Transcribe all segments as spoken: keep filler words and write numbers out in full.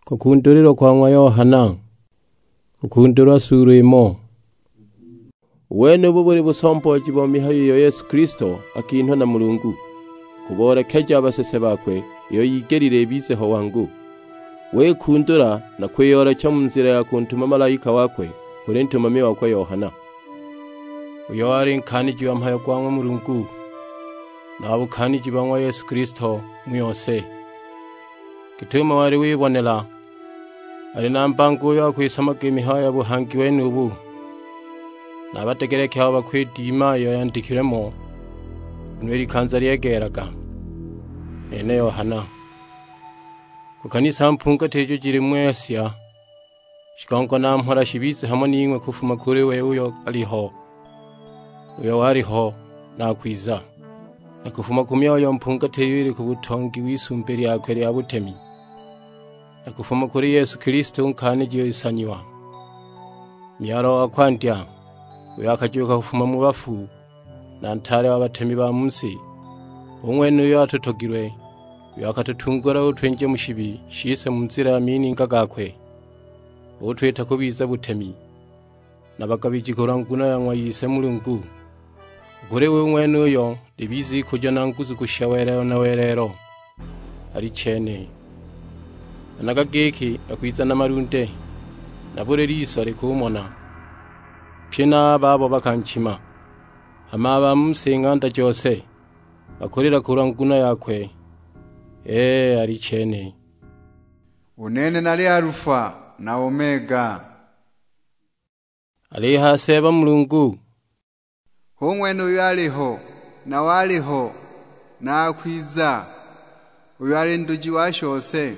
Kukundulilwa kwa ng'wa Yohana. Kukundulwa suulu imo. U wenubu buli busombooji bo mihayo iyo Yesu Kilisto akinhwa na Mulungu, kuboolekeja a basese bakwe iyo yigelile ibize ho wangu. Wikundula na kwiyoolecha mu nzila ya kuntuma malaika wakwe kuli ntumami wakwe Yohana, uyo wali nkaaniji wa mhayo gwa ng'wa Mulungu, na wa bukaaniji bo ng'wa Yesu Kilisto mu yose. Git'umo wali wibonela, ali na mbango uyo akwisamaga i mihayo ya buhangi wenubu. Na a badegeleki abo bakwidima iyo yandikilwe mo, nguno i likanza lyegeelaga. Nene Yohana. Ku kanisa mpungati ijo jili mu Asia, shigongo na mhola shibize hamo ning'we kufuma kuli we uyo aliho, uyo waliho, na akwiza. Na kufuma ku myoyo mpungati iyo ili ku butongi w'isumbi lyakwe lya butemi, na kufuma kuli Yesu Kilisto u nkaaniji o isanyiwa, myalwa wa kwandya, uyo akajuuka kufuma mu bafu, na ntaale wa batemi ba mu si, u ng'wene uyo atutogilwe, uyo akatutungula utwinja mu shibi shise mu nzila ya mininga gakwe, utwita kubiza butemi na bagabiji kulwa nguno ya ng'wa Ise Mulungu. U kuli we u ng'wenuyo libize ikujo na nguzu kushisha welelo na welelo. Alichene. Managa giki akwiza na malunde, na buli liso likumona, pye na a babo bakanchima. Hama a ba mu si ng'anda jose bakulila kulwa nguno yakwe. Ee, alichene. U nene nali Alufa na Omega. Alihaya Seeba Mulungu, hu ng'wene uyo aliho, na waliho, na akwiza, uyo ali nduji wa shose.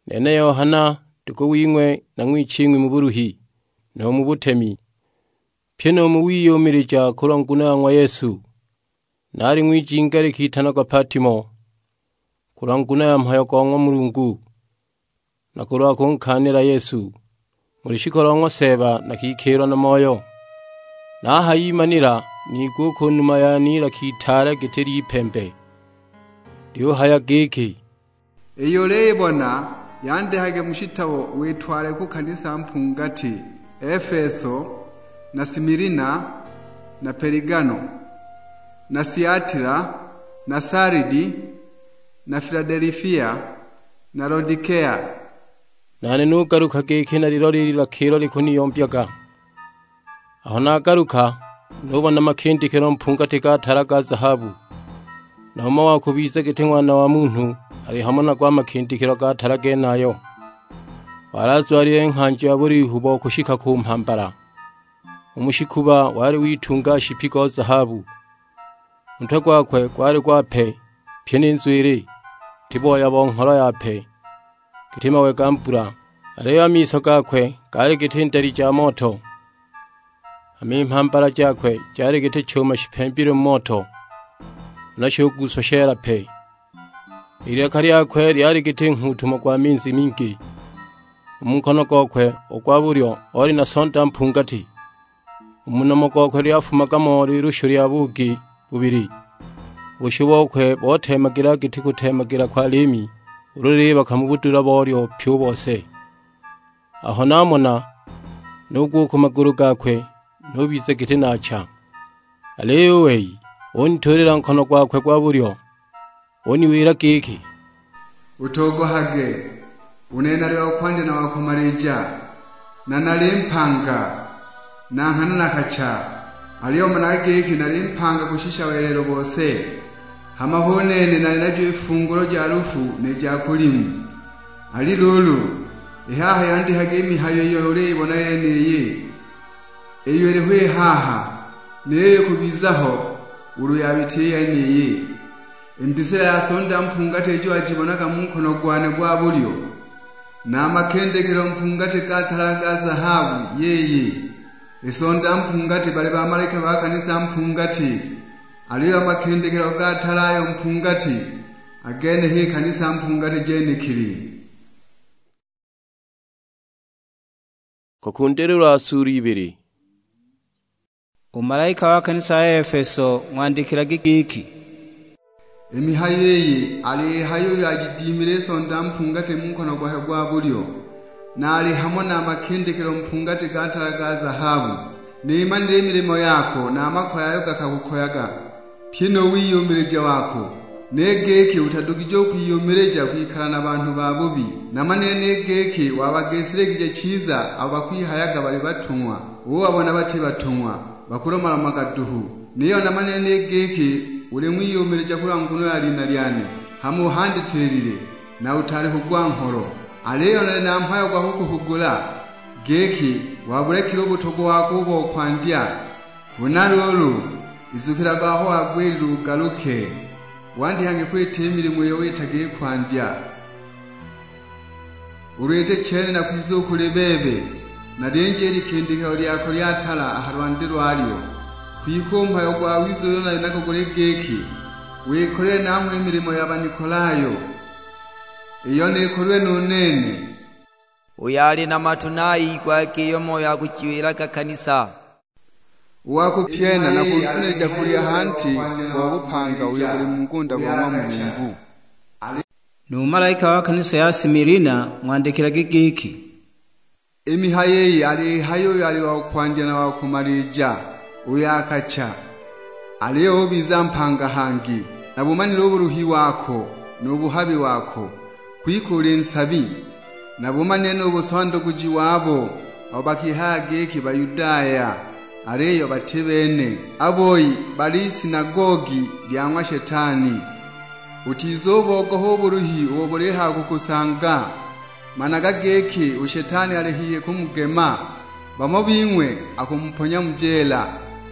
Nene Yohana, ndugu wing'we na ng'wiching'wi mu buluhi, nu mu butemi, pyi nu mu wiyumilija kulwa nguno ya ng'wa Yesu. Nali ng'wijinga likitanagwa Patimo, kulwa nguno ya mhayo go ng'wa Mulungu, na kulwa kunkaanila Yesu. Mu lushiku lo ng'wa Seeba nakikiilwa na Moyo. Nahayimanila, nigwa u ku numa yane ilaka itaale giti ly'ipembe, lyuhaya giki, "Iyo uliyibona, yandikage mu shitabo witwale ku kanisa mpungati, Efeso, na Similina, na Peligano, na Siatila, na Salidi, na Filadelifia, na Lodikea." Nane nugaluka giki nalilole i lilaka ilo likuniyombyaga. Aho nagaluka, nubona makindikilo mpungati ga tala ga zahabu, na umo wa kubiza giti ng'wana wa munhu ali hamo nago a makindikilo ga tala genayo. Wali azwalile nghanjo ya bulihu bo kushika ku mhambala. U mu shikuba wali witunga shipi go zahabu. U ntwe gwakwe gwali gwape, pyi ni nzwili, giti booya bo ngholo yape, giti mawe ga mbula. Aliyo a miso gakwe gaali giti ndali ja moto, hama i mhambala jakwe jali giti chuma shipembilwe mu moto, huna shuguswa sheela pe. I lilaka lyakwe lyali giti nghuutumo gwa minzi mingi. U mu nkono gokwe u gwa bulyo oli na sonda mpungati. U mu nomo gokwe lyafumaga mo lilushu lya buugi bubili. U bushu bokwe boteemagila giti kuteemagila kwa liimi, ulu lilibaka mu budula bolyo pyi u bose. Aho namona, nugwa u ku magulu gakwe, nubiza giti naacha. Aliyo u wei unituulila nkono gwakwe gwa bulyo, uniwila giki, "Utogohage, u nene nali wa kwandya na wa kumalija, na nali mpanga, na nghana nakacha. Aliyo managa giki nali mpanga kushisha welelo bose, hama hu nene nali najo i fungulo ja lufu ni ja kulimu. Ali luulu, i haha yandikage i mihayo iyo uliyibona yeniyi, iyo iliho i haha, niyo ikubiza ho ulu yabita i yeniyi." I mbisila ya sonda mpungati ijo wajibonaga mu nkono gwane gwa bulyo, na a makindikilo mpungati ga tala ga zahabu, yiyi. I sonda mpungati bali bamalaika ba kanisa mpungati, aliyo a makindikilo ga tala ayo mpungati, a gene h'i kanisa mpungati jenekili. Kukundililwa suulu ibili. U malaika wa kanisa ya Efeso ng'wandikilagi giki, I mihayo iyi aliyihaya uyo ajidimile i sonda mpungati mu nkono gwakwe gwa bulyo, na ali hamo na a makindikilo mpungati ga tala ga zahabu. Nimanile i milimo yako, na a makoye ayo gakakukoyaga, pyi nu wiyumilija wako. Ni giki utadugije u kwiyumilija kwikala na banhu babubi. Namanile ni giki wabagisiligije chiza abo bakwihayaga bali batung'wa, ubabona bati batung'wa, bakulomalomaga duhu. Niyo namanile ni giki uli ng'wiyumilija kulwa nguno ya lina lyane, hama uhanditilile, na utaali kugwa ngholo. Aliyo nali na mhayo gwa kukuhugula, giki wabulekile u butogwa wako u bo kwandya. Huna luulu, izukilaga aho wagwilile ugaluke, wandikage kwita i milimo iyo witaga i kwandya. Ulu iti chene nakwiza u kuli bebe, nalinje i likindikilo lyako lya tala a ha lwande lwalyo. Kwike u mhayo gwawiza uyo nali nago guli giki, wikolile nanghwe i milimo ya Banikolayo, iyo nikolilwe nu nene. Uyo ali na matu ni ayigwage iyo Moyo akujiwilaga kanisa. U wa kupyena nakunzunilija kulya hanti go bupanga uyo buli mu ngunda go ng'wa Mulungu. Nu malaika wa kanisa ya Similina ng'wandikilage giki, "I mihayo iyi aliyihaya uyo ali wa kwandya na wa kumalija, uyo akacha, aliyo ubiza mpanga hangi. Nabumanile u buluhi wako, nu buhabi wako, kwike uli nsabi. Nabumanile nu busondoguji wabo, abo bakihaya giki Bayudaya, aliyo bati bene, a boi bali isinagogi lya ng'wa Shetani. Utizubogoha u buluhi ubo bulihaya kukusanga. Managa giki u Shetani ali hihi kumugema. Bamo bing'we akumuponya mu jeela,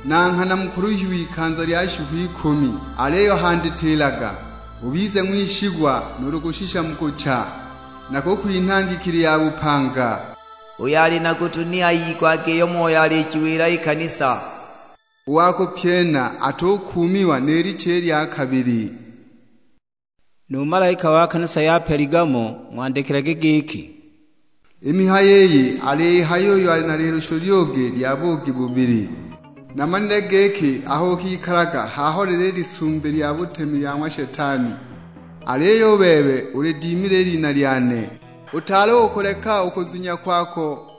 na nghana mukuluhiwe ikanza lya shiku ikumi. Aliyo handitilaga, ubize ng'wishigwa nuulu kushisha mu kucha, nakukwinha ngikili ya bupanga." Uyo ali na gutu ni ayigwage iyo Moyo alijiwila i kanisa. U wa kupyena atukuumiwa ni licha i lya kabili. Nu malaika wa kanisa ya Peligamo ng'wandikilage giki, "I mihayo iyi aliyihaya uyo ali na lilusho lyugi lya buugi bubili. Namanile giki aho ukikalaga haho lili i lisumbi lya butemi lya ng'wa Shetani, aliyo u bebe ulidimile i lina lyane. Utaali u kuleka u kuzunya kwako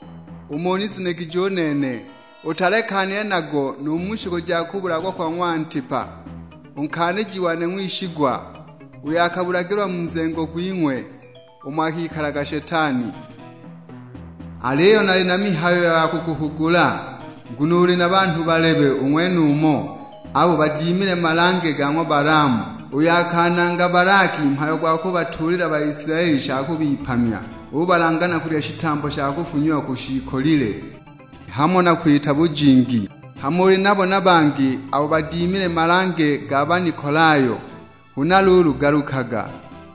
umo unizunigije u nene. Utalekanile nago nu mu shiku ja kubulagwa kwa ng'wa Antipa, u nkaaniji wane ng'wishigwa, uyo akabulagilwa mu nzengo gwing'we, umo akikalaga Shetani. Aliyo nali na mihayo ya kukuhugula, nguno uli na banhu balebe u ng'wenumo, abo badimile malange ga ng'wa Balaamu, uyo akananga Balaki mhayo gwa kubatuulila Baisilaeli sha kubipamya, ubalanga na kulya shitambo sha kufunyiwa ku shiikolile, hamo na kwita bujingi. Hama uli nabo na bangi abo badimile malange ga Banikolayo. Huna luulu galukaga,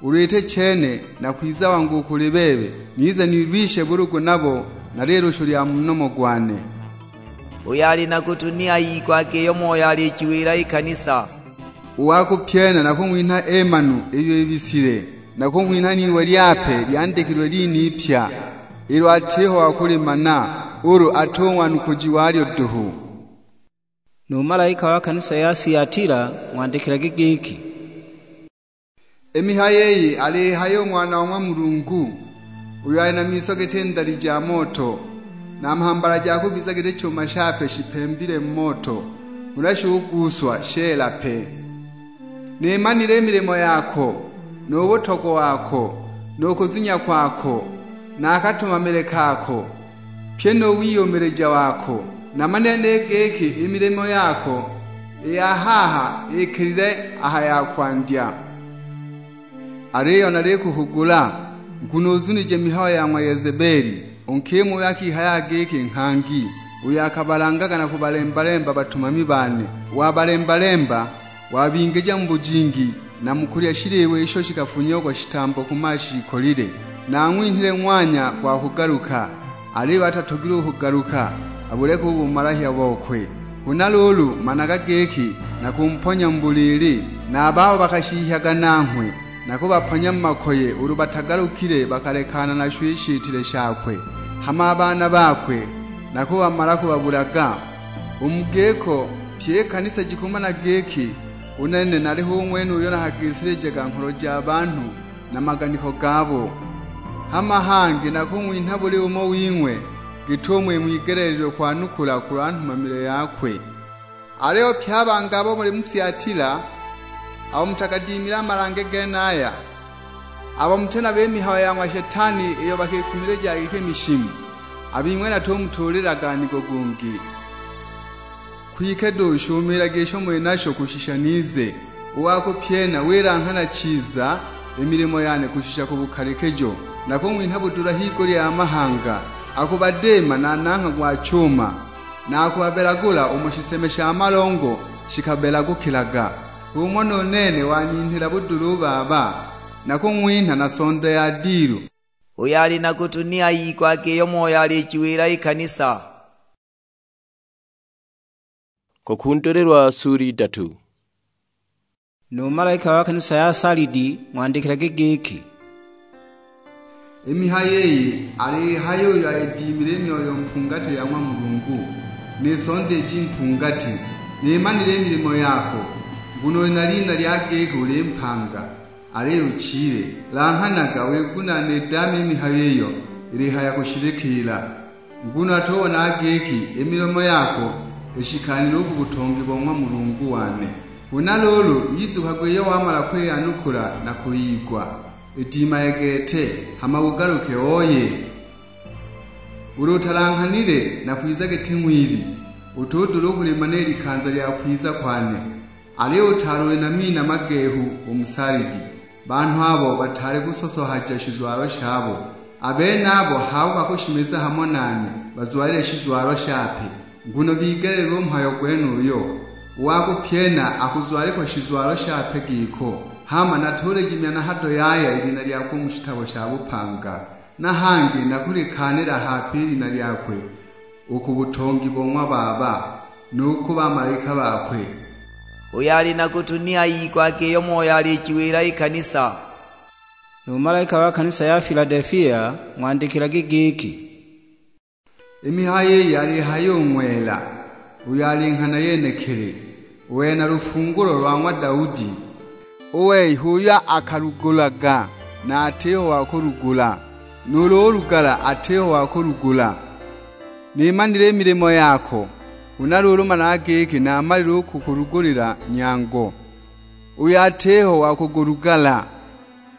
ulu iti chene nakwiza wangu u kuli bebe, nize nilwishe bulugu nabo na lilushu lya mu nomo gwane." Uyo ali na gutu ni ayigwage iyo Moyo alijiwila i kanisa. U wa kupyena nakung'winha emanu iyo ibisile, nakung'winha n'iwe lyape lyandikilwe lina ipya, ilo atiho wa kulimana, ulu ati u ng'wanukuji walyo duhu. Nu malaika wa kanisa ya Siatila ng'wandikilage giki, "I mihayo iyi aliyihaya u Ng'wana wa ng'wa Mulungu, uyo ali na miso giti ndali ja moto, na mhambala jakwe biza giti chuma shape shipembile mu moto, huna shuguuswa sheela pe. Nimanile i milimo yako, nu butogwa wako, nu kuzunya kwako, na a katumamile kako, pyi nu wiyumilija wako. Namanile ni giki i milimo yako i ya haha ikelile aha ya kwandya. Aliyo nalikuhugula, nguno uzunije mihayo ya ng'wa Yezebeli, u nkima uyo akihaya giki nghangi, uyo akabalangaga na kubalemba-lemba batumami bane. Wabalemba-lemba, wabingija mu bujingi, na mu kulya shiliwa isho shikafunyiagwa shitambo ku mashiikolile. Nang'winhile ng'wanya gwa kugaluka, aliyo atatogilwe u kugaluka, abuleke u bumalahya bokwe. Huna luulu, managa giki nakumponya mu buliili, na a babo bakashiihyaga nanghwe, nakubaponya mu makoye ulu batagalukile bakalekana nasho i shitile shakwe. Hama a baana bakwe nakubamala kubabulaga. U mu giko, pyi i kanisa jikumana giki U nene naliho u ng'wene uyo nakagisilijaga ngholo ja banhu na maganiko gabo. Hama hangi nakung'winha buli umo wing'we git'umo ing'wigeleelilwe kwanukula kulwa nhumamile yakwe. Aliyo pye a bangi abo muli mu Thiatila, abo mutakadimile a malange genaya, abo muti nabo i mihayo ya ng'wa Shetani iyo bakikumilija giki mishimu, a bing'we natumutuulilaga nigo gungi. Kwike duhu shumiilagi isho muli nasho kushisha nize. U wa kupyena wilanghana chiza i milimo yane kushisha ku bukalikijo, nakung'winha budula higulya ya mahanga, akubadiima na nangha gwa chuma, na akubabelagula umo shiseme sha malongo shikabelagukilaga. H'umo nu nene waninhila budula u Baba, nakung'winha na sonda ya dilu. Uyo ali na gutu ni ayigwage iyo Moyo alijiwila i kanisa. Kukundulilwa sura idatu. Nu malaika wa kanisa ya Salidi ng'wandikilage giki, "I mihayo iyi alihaya uyo ayidimile i myoyo mpungati ya ng'wa Mulungu, ni sonda iji mpungati, nimanile i milimo yako, nguno uli na lina lya giki uli mpanga, aliyo uchile. Langhanaga wigunaane i dame i mihayo iyo ilihaya kushilikiila, nguno atubona giki i milomo yako ishikanile u ku butongi bo ng'wa Mulungu wane. Huna luulu, izukagwe iyo wamala kwiyanukula na kuyigwa, idimaye gete, hama ugaluke oye. Ulu utalanghanile, nakwiza giti ng'wibi, utudula u kulimana i likanza lya kwiza kwane. Aliyo utaali uli na mina magehu u mu Salidi, banhu abo bataali kusosohaja shizwalo shabo. A benabo h'abo bakushimiza hamo nane bazwalile shizwalo shape, nguno bigeleelilwe u mhayo gwenuyo. U wa kupyena akuzwalikwa shizwalo shape giko, hama natuliji mya na hado yaya i lina lyakwe u mu shitabo sha bupanga. Na hangi nakulikaanila hape i lina lyakwe u ku butongi bo ng'wa Baba, nu ku bamalaika bakwe." Uyo ali na gutu ni ayigwage iyo Moyo alijiwila i kanisa. Nu malaika wa kanisa ya Filadelfia ng'wandikilage giki, "I mihayo iyi alihaya u Ng'wela, uyo ali Nghana yenekili, u wena lufungulo lwa ng'wa Daudi. U wei h'uyo akalugulaga, na atiho wa kulugula, nuulu ulugala atiho wa kulugula. Nimanile i milimo yako, huna luulu managa giki namalile u kukulugulila nyango, uyo atiho wa kugulugala.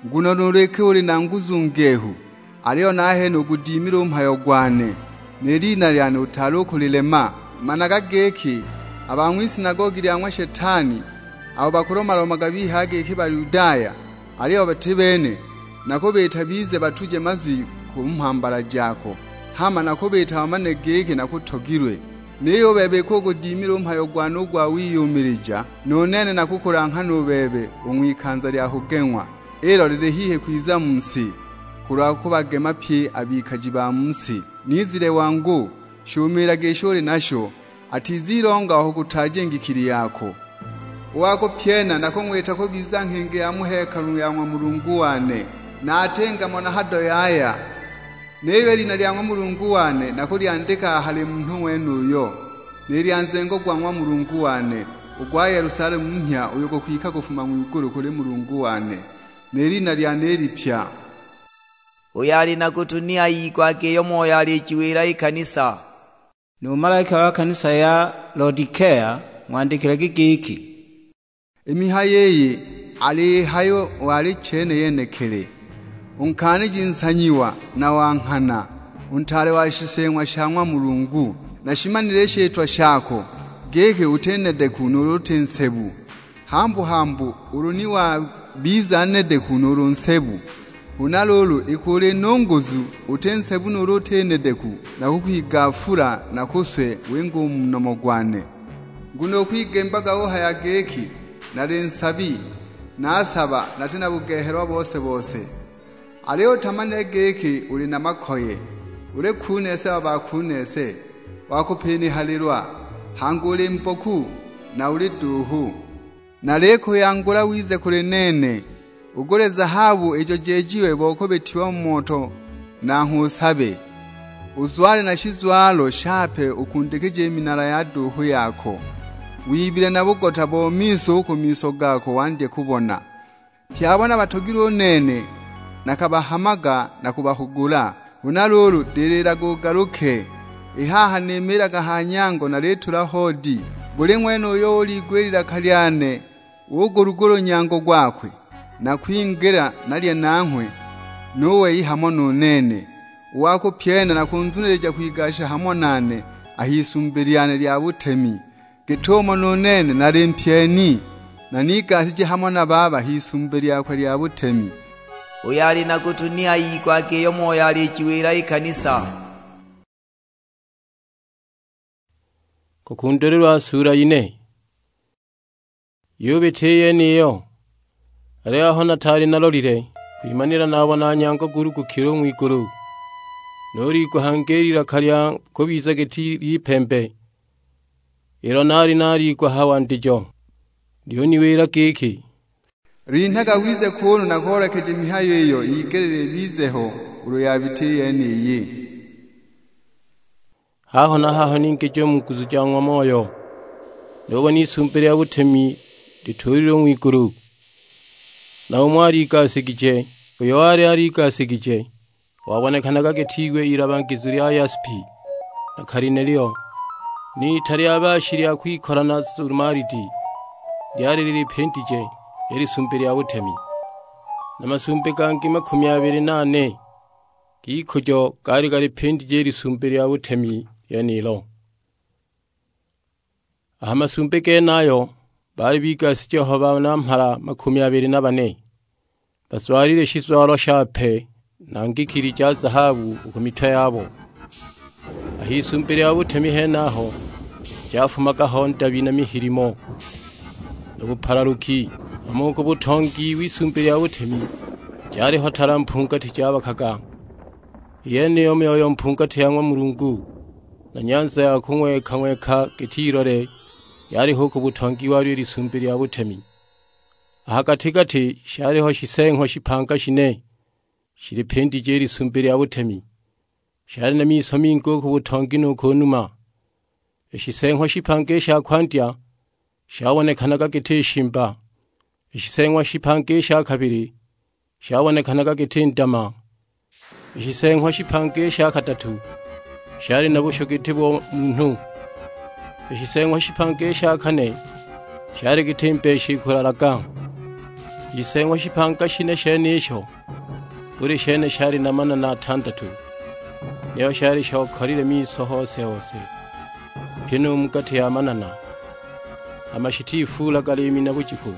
Nguno nuulu iki uli na nguzu ngehu, aliyo nahene ugudimile u mhayo gwane, ni lina lyane utaali u kulilema. Managa giki, a ba ng'wisinagogi lya ng'wa Shetani, abo bakulomalomaga bihaya giki Bayudaya, aliyo bati bene, nakubiita bize batuje mazwi ku mhambala jako, hama nakubiita bamane giki nakutogilwe. Niyo u bebe iki ugudimile u mhayo gwane u gwa wiyumilija, nu nene nakukulanghana u bebe u ng'wikanza lya kugeng'wa, ilo lili hihi kwiza mu si, kulwa kubagema pye a bikaji ba mu si. Nizile wangu, shumiilage isho uli nasho, atizilonga aho kutaja i ngikili yako. U wa kupyena nakung'wita kubiza nghingi ya mu hekalu ya ng'wa Mulungu wane, na atinga mo na hado yaya. Niyo i lina lya ng'wa Mulungu wane nakulyandika a hali munhu ng'wenuyo, ni lya nzengo gwa ng'wa Mulungu wane, u gwa Yelusalemu mhya uyo gukwika kufuma ng'wigulu kuli Mulungu wane, ni lina lyane i lipya." Uyo ali na gutu ni ayigwage iyo Moyo alijiwila i kanisa. Nu malaika wa kanisa ya Lodikea ng'wandikilage giki, "I mihayo iyi alihaya u Alichene yenekili, u nkaaniji nsanyiwa na wa nghana, u ntaale wa shiseeng'wa sha ng'wa Mulungu. Nashimanile i shitwa shako, giki uti nedeku nuulu uti nsebu. Hambu-hambu ulu ni wabiza nedeku nuulu nsebu, huna luulu iki uli nu nguzu, uti nsebu nuulu uti nedeku, nakukwigaafula nakuswe winge u mu nomo gwane. Nguno ukwigembaga uhaya giki, 'Nali nsabi, nasaba, nati na bugehelwa bose-bose.' Aliyo utamanile giki uli na makoye, uli kuneese wa bakuneese, wa kupinihalilwa, hangi uli mboku, na uli duuhu. Nalikuyangula wize kuli nene, ugule zahabu ijo jeejiwe bo kubitiwa mu moto, nanghwe usabe. Uzwale na shizwalo shape ukundikije i minala ya duuhu yako. wibile na bugota bo miso u ku miso gako wandye kubona. Pye a bana batogilwe u nene, nakabahamaga na kubahugula. Huna luulu, dililaga ugaluke. I haha nimiilaga ha nyango nalitula hoodi. Buli ng'wene uyo uligwila ilaka lyane, ugulugula u nyango gwakwe, nakwingila nalye nanghwe, nu wei hamo nu nene. U wa kupyena nakunzunilija kwigasha hamo nane a h'isumbi lyane lya butemi. Git'umo nu nene nali mpyeni, nanigasije hamo na Baba h'isumbi lyakwe lya butemi." Uyo ali na gutu ni ayigwage iyo Moyo alijiwila i kanisa. Kukundulilwa sula ine. Yubita i yeniyo, aliyo aho nataali nalolile, kwimanila nabona nyango gulugukile u ng'wigulu. Nuliigwa hangi i lilaka lya kubiza giti ly'ipembe, ilo naali naliigwa ha wandijo. Lyuniwila giki, "Linhaga wize kuunu nakoolekeje mihayo iyo igelile ibize ho ulu yabita i yeniyi." Haho na haho ningija u mu nguzu ja ng'wa Moyo, nubona isumbi lya butemi lituulilwe u ng'wigulu, na umo aligasigije. Uyo wali aligasigije wabonekanaga giti iwe ilabangizu lya yaspi na kalinelio, n'ita lya baashi lya kwikola na sumalidi lyali lilipindije i lisumbi lya butemi. Na masumbi gangi makumi abili na ane g'ikujo gaali galipindije i lisumbi lya butemi lyenilo. A ha masumbi genayo baali bigasije ho banamhala makumi abili na bane, bazwalile shizwalo shape na ngikili ja zahabu u ku mitwe yabo. A h'isumbi lya butemi henaho jafumaga ho ndabi na mihilimo na bupalaluki, hamo u ku butongi w'isumbi lya butemi jaliho tala mpungati jabakaga. I yeniyo myoyo mpungati ya ng'wa Mulungu, na nyanza ya kung'weka-ng'weka giti ilole yaliho u ku butongi walyo i lisumbi lya butemi. A ha gati-gati shaliho shiseeng'wa shipanga shine, shilipindije i lisumbi lya butemi. Shali na miso mingi u ku butongi nu ku numa. I shiseeng'wa shipanga i sha kwandya shabonekanaga giti shimba, i shiseeng'wa shipanga i sha kabili shabonekanaga giti ndama, i shiseeng'wa shipanga i sha kadatu shali na bushu giti bo munhu, i shiseeng'wa shipanga i sha kane shali giti mbeshi ikulalaga. I shiseeng'wa shipanga shine shenisho, buli shene shali na manana atandatu, niyo shali shokalile miso hose-hose, pyi nu mu gati ya manana, hama shitifuulaga liimi na bujiku.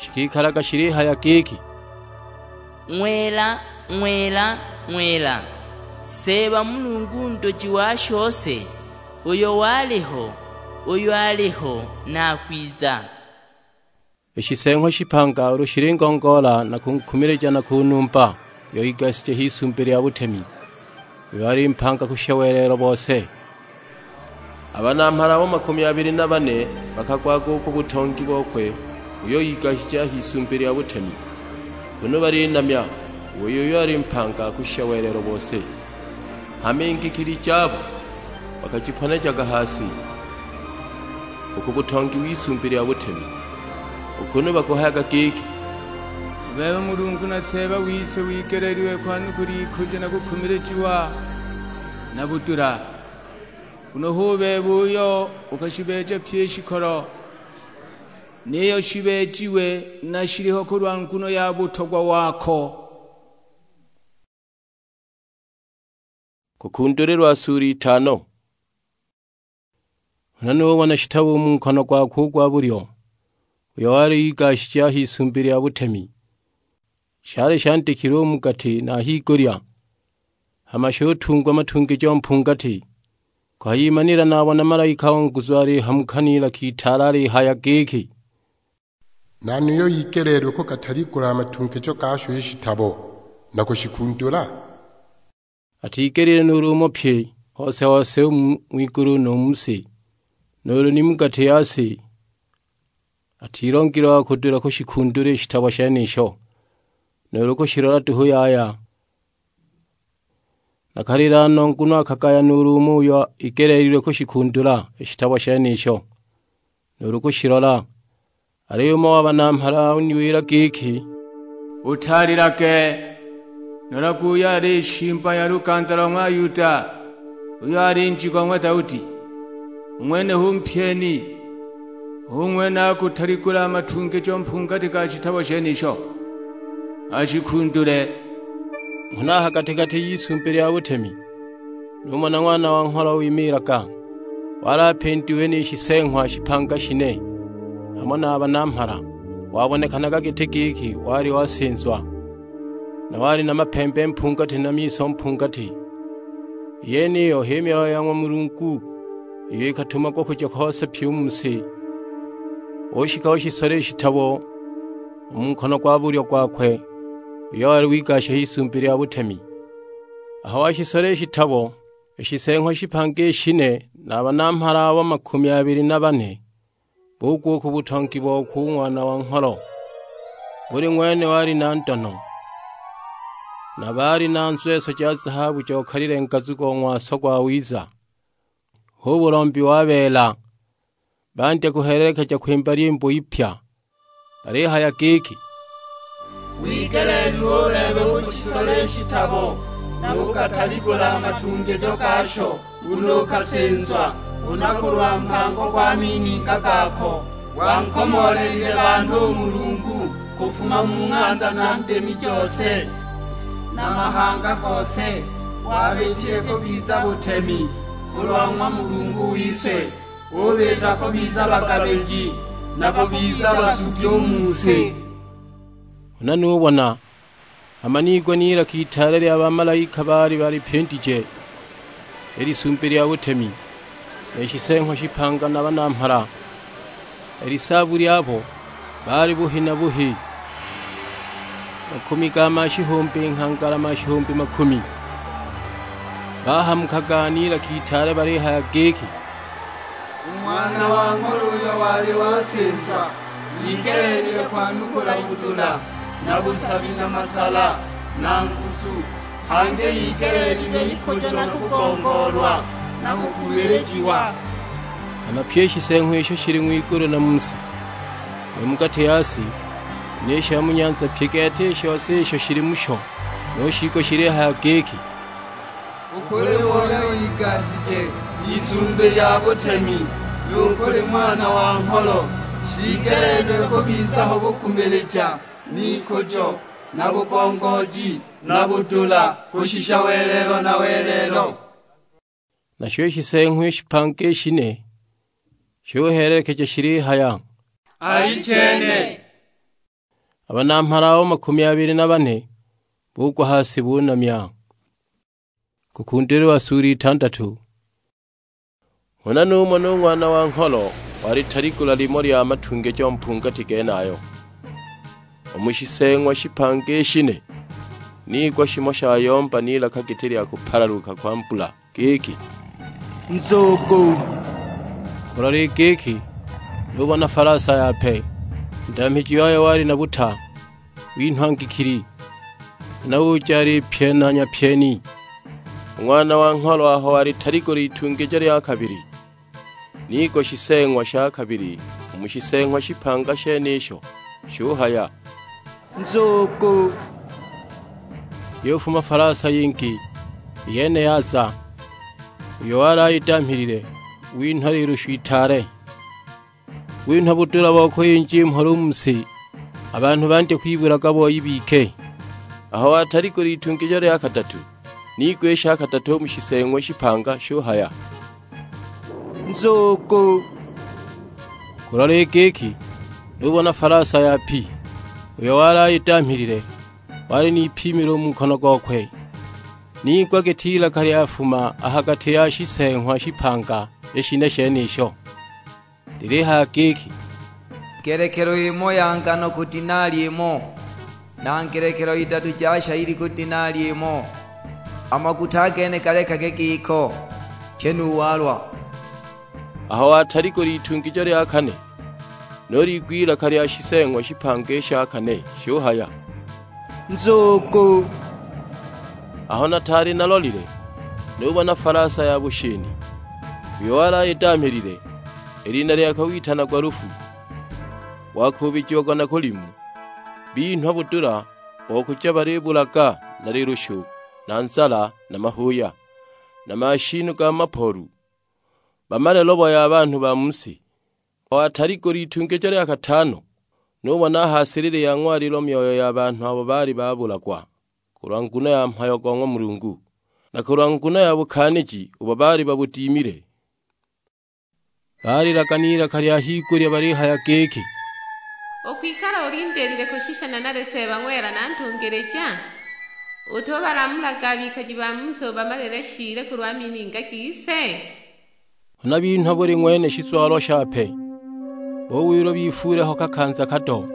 Shikikalaga shilihaya giki, "Ng'wela, ng'wela, ng'wela, Seeba Mulungu Ntoji wa shose, uyo waliho, uyo aliho, na akwiza." I shiseeng'wa shipanga ulu shilingongoola na kunkumilija na kunumba, uyo igasije h'isumbi lya butemi, uyo ali mpanga kushisha welelo bose. A banamhala abo makumi abili na bane bakagwaga u ku butongi bokwe uyo igashije a h'isumbi lya butemi, kunu balinamya u wei uyo ali mpanga kushisha welelo bose. Hama i ngikili jabo bakajiponejaga ha si, u ku butongi w'isumbi lya butemi, u kunu bakuhayaga giki, "U bebe Mulungu na Seeba wise wigeleelilwe kwanukula ikujo na kukumilijiwa na budula, nguno hu bebe uyo ukashibeeja pyi i shikolo, niyo shibeejiwe na shiliho kulwa nguno ya butogwa wako." Kukundulilwa sura itano. Huna nubona shitabo u mu nkono gwakwe u gwa bulyo, uyo wali igashije a h'isumbi lya butemi. Shali shandikilwe u mu gati na a higulya, hama shutungwa matungijo mpungati. Kuhayimanila nabona malaika o nguzu alihamuka n'ilaka itaale alihaya giki, "Nani uyo igeleelilwe kugataligula a matungijo gasho i shitabo, na kushikundula?" Atigelile nuulu umo pye hose-hose u mu ng'wigulu nu mu si, nuulu ni mu gati ya si, atilongilwe wa kudula kushikundula i shitabo shenisho, nuulu kushilola duhu yaya. Nakalila no, nguno akagaya nuulu umo uyo igeleelilwe kushikundula i shitabo shenisho. nuulu kushilola. Aliyo umo wa banamhala uniwila giki, "Utalilage, nolage uyo ali shimba ya luganda lo ng'wa Yuda, uyo ali njigo ng'wa Daudi. U ng'wene hu mpyeni, hu ng'wene akutaligula a matungijo mpungati ga shitabo shenisho, ashikundule." Nghana a ha gati-gati y'Isumbi lya butemi numona Ng'wana wa Ngholo wimiilaga, wali apindiwe ni shiseeng'wa shipanga shine, hamo na a banamhala. Wabonekanaga giti giki wali wasinzwa, na wali na mapembe mpungati na miso mpungati. I yeniyo h'i myoyo ya ng'wa Mulungu, iyo ikatumagwa kuja kose pyi u mu si. Ushika ushisola i shitabo u mu nkono gwa bulyo gwakwe, uyo wali wigasha h'Isumbi lya butemi. Aho washisola i shitabo, i shiseeng'wa shipanga i shine na a banamhala abo makumi abili na bane bugwa u ku butongi bokwe u Ng'wana wa Ngholo. Buli ng'wene wali na ndono, na baali na nzweso ja zahabu jokalile ngazu go ng'waso gwawiza, hu bulombi wa beela. Bandya kuhelelekeja kwimba lyimbo ipya, balihaya giki, "Wigeleelilwe u bebe uushisole i shitabo, na ukataligula a matungijo gasho, nguno ukasinzwa, huna kulwa mpango gwa mininga gako, wankomoolelile banhu u Mulungu kufuma mu ng'anda na ndimi jose, na mahanga gose, wabitile kubiza butemi kulwa ng'wa Mulungu wise, ubita kubiza bagabiji, na kubiza basugi u mu si." Huna nubona, hama niigwa n'ilaka itaale lya bamalaika baali balipindije i Lisumbi lya butemi, ni shiseeng'wa shipanga na banamhala. I lisaabu lyabo baali buhi na buhi, makumi ga mashihumbi nghangala mashihumbi makumi. Bahamukaga n'ilaka itaale balihaya giki, "U Ng'wana wa Ngholo uyo wali wasinzwa, igeleelilwe kwanukula budula, na busabi, na masala, na nguzu, hangi igeleelilwe ikujo na kugongoolwa, na kukumilijiwa." Hama pyi i shiseeng'wa isho shili ng'wigulu na mu si, nu mu gati ya si, ni sha mu nyanza pyi gete i shose isho shili musho, nu shiigwa shilihaya giki, "U kuli Moyo Igashije, Isumbi lya butemi, nu kuli Ng'wana wa Ngholo, shigeleelilwe kubiza ho bukumilija, n'ikujo, na bugongooji, na budula, kushisha welelo na welelo." Nasho i shiseeng'wa i shipanga i shine shuhelelekeja shilihaya, "Alichene!" A banamhala abo makumi abili na bane bugwa ha si bunamya. Kukundulilwa sulu itandatu. Huna numona u Ng'wana wa Ngholo walitaligula limo lya matungijo mpungati genayo. U mu shiseeng'wa shipanga i shine, niigwa shimo shayomba n'ilaka giti lya kupalaluka kwa mbula, giki, "Nzugu!" Kulola i giki, nubona falasa yape, u ndamhiji wayo wali na buta, winhwa ngikili, huna uja alipyena nyapyeni. U Ng'wana wa Ngholo aho walitaligula itungijo lya kabili, niigwa shiseeng'wa sha kabili u mu shiseeng'wa shipanga shenisho, shuhaya, "Nzugu!" Yufuma falasa yingi, i yene yaza, uyo wali ayidamhilile winhwa lilushu itaale. Winhwa budula bo kuyinja i mhola u mu si, a banhu bandya kwibulaga boi bike. Aho wataligula itungijo lya kadatu, niigwa i sha kadatu u mu shiseeng'wa shipanga shuhaya, "Nzugu!" Kulola i giki, nubona falasa yapi, uyo wali ayidamhilile, wali n'ipimilo u mu nkono gokwe. Niigwa giti ilaka lyafuma a ha gati ya shiseeng'wa shipanga i shine shenisho, lilihaya giki, "Ngelekelo imo ya ngano ku dinali imo, na ngelekelo idatu ja shayili ku dinali imo. A maguta a gene galekage giko, pye nu walwa." Aho wataligula itungijo lya kane, nuligwa ilaka lya shiseeng'wa shipanga i sha kane, shuhaya, "Nzugu!" Aho nataali nalolile, nubona falasa ya bushini, uyo wali ayidamhilile, i lina lyakwe witanagwa Lufu. Wakuubijiagwa na kulimu, binhwa budula bo kuja balibulaga na lilushu, na nzala, na mahuuya, na mashinu ga mapoolu, bamale lobo ya banhu ba mu si. Aho ataligula itungijo lya katano, nubona a ha silili ya ng'walilo myoyo ya banhu abo baali babulagwa kulwa nguno ya mhayo go ng'wa Mulungu, na kulwa nguno ya bukaaniji ubo baali babudimile. Balilaga n'ilaka lya higulya balihaya giki, "U kwikala ulindiilile kushisha nanali Seeba ng'wela na ntungilija? Utubalamulaga a bikaji ba mu si ubamalile shiile kulwa mininga gise?" Huna binhwa buli ng'wene shizwalo shape, buwilwa bifuule ho kakanza kado,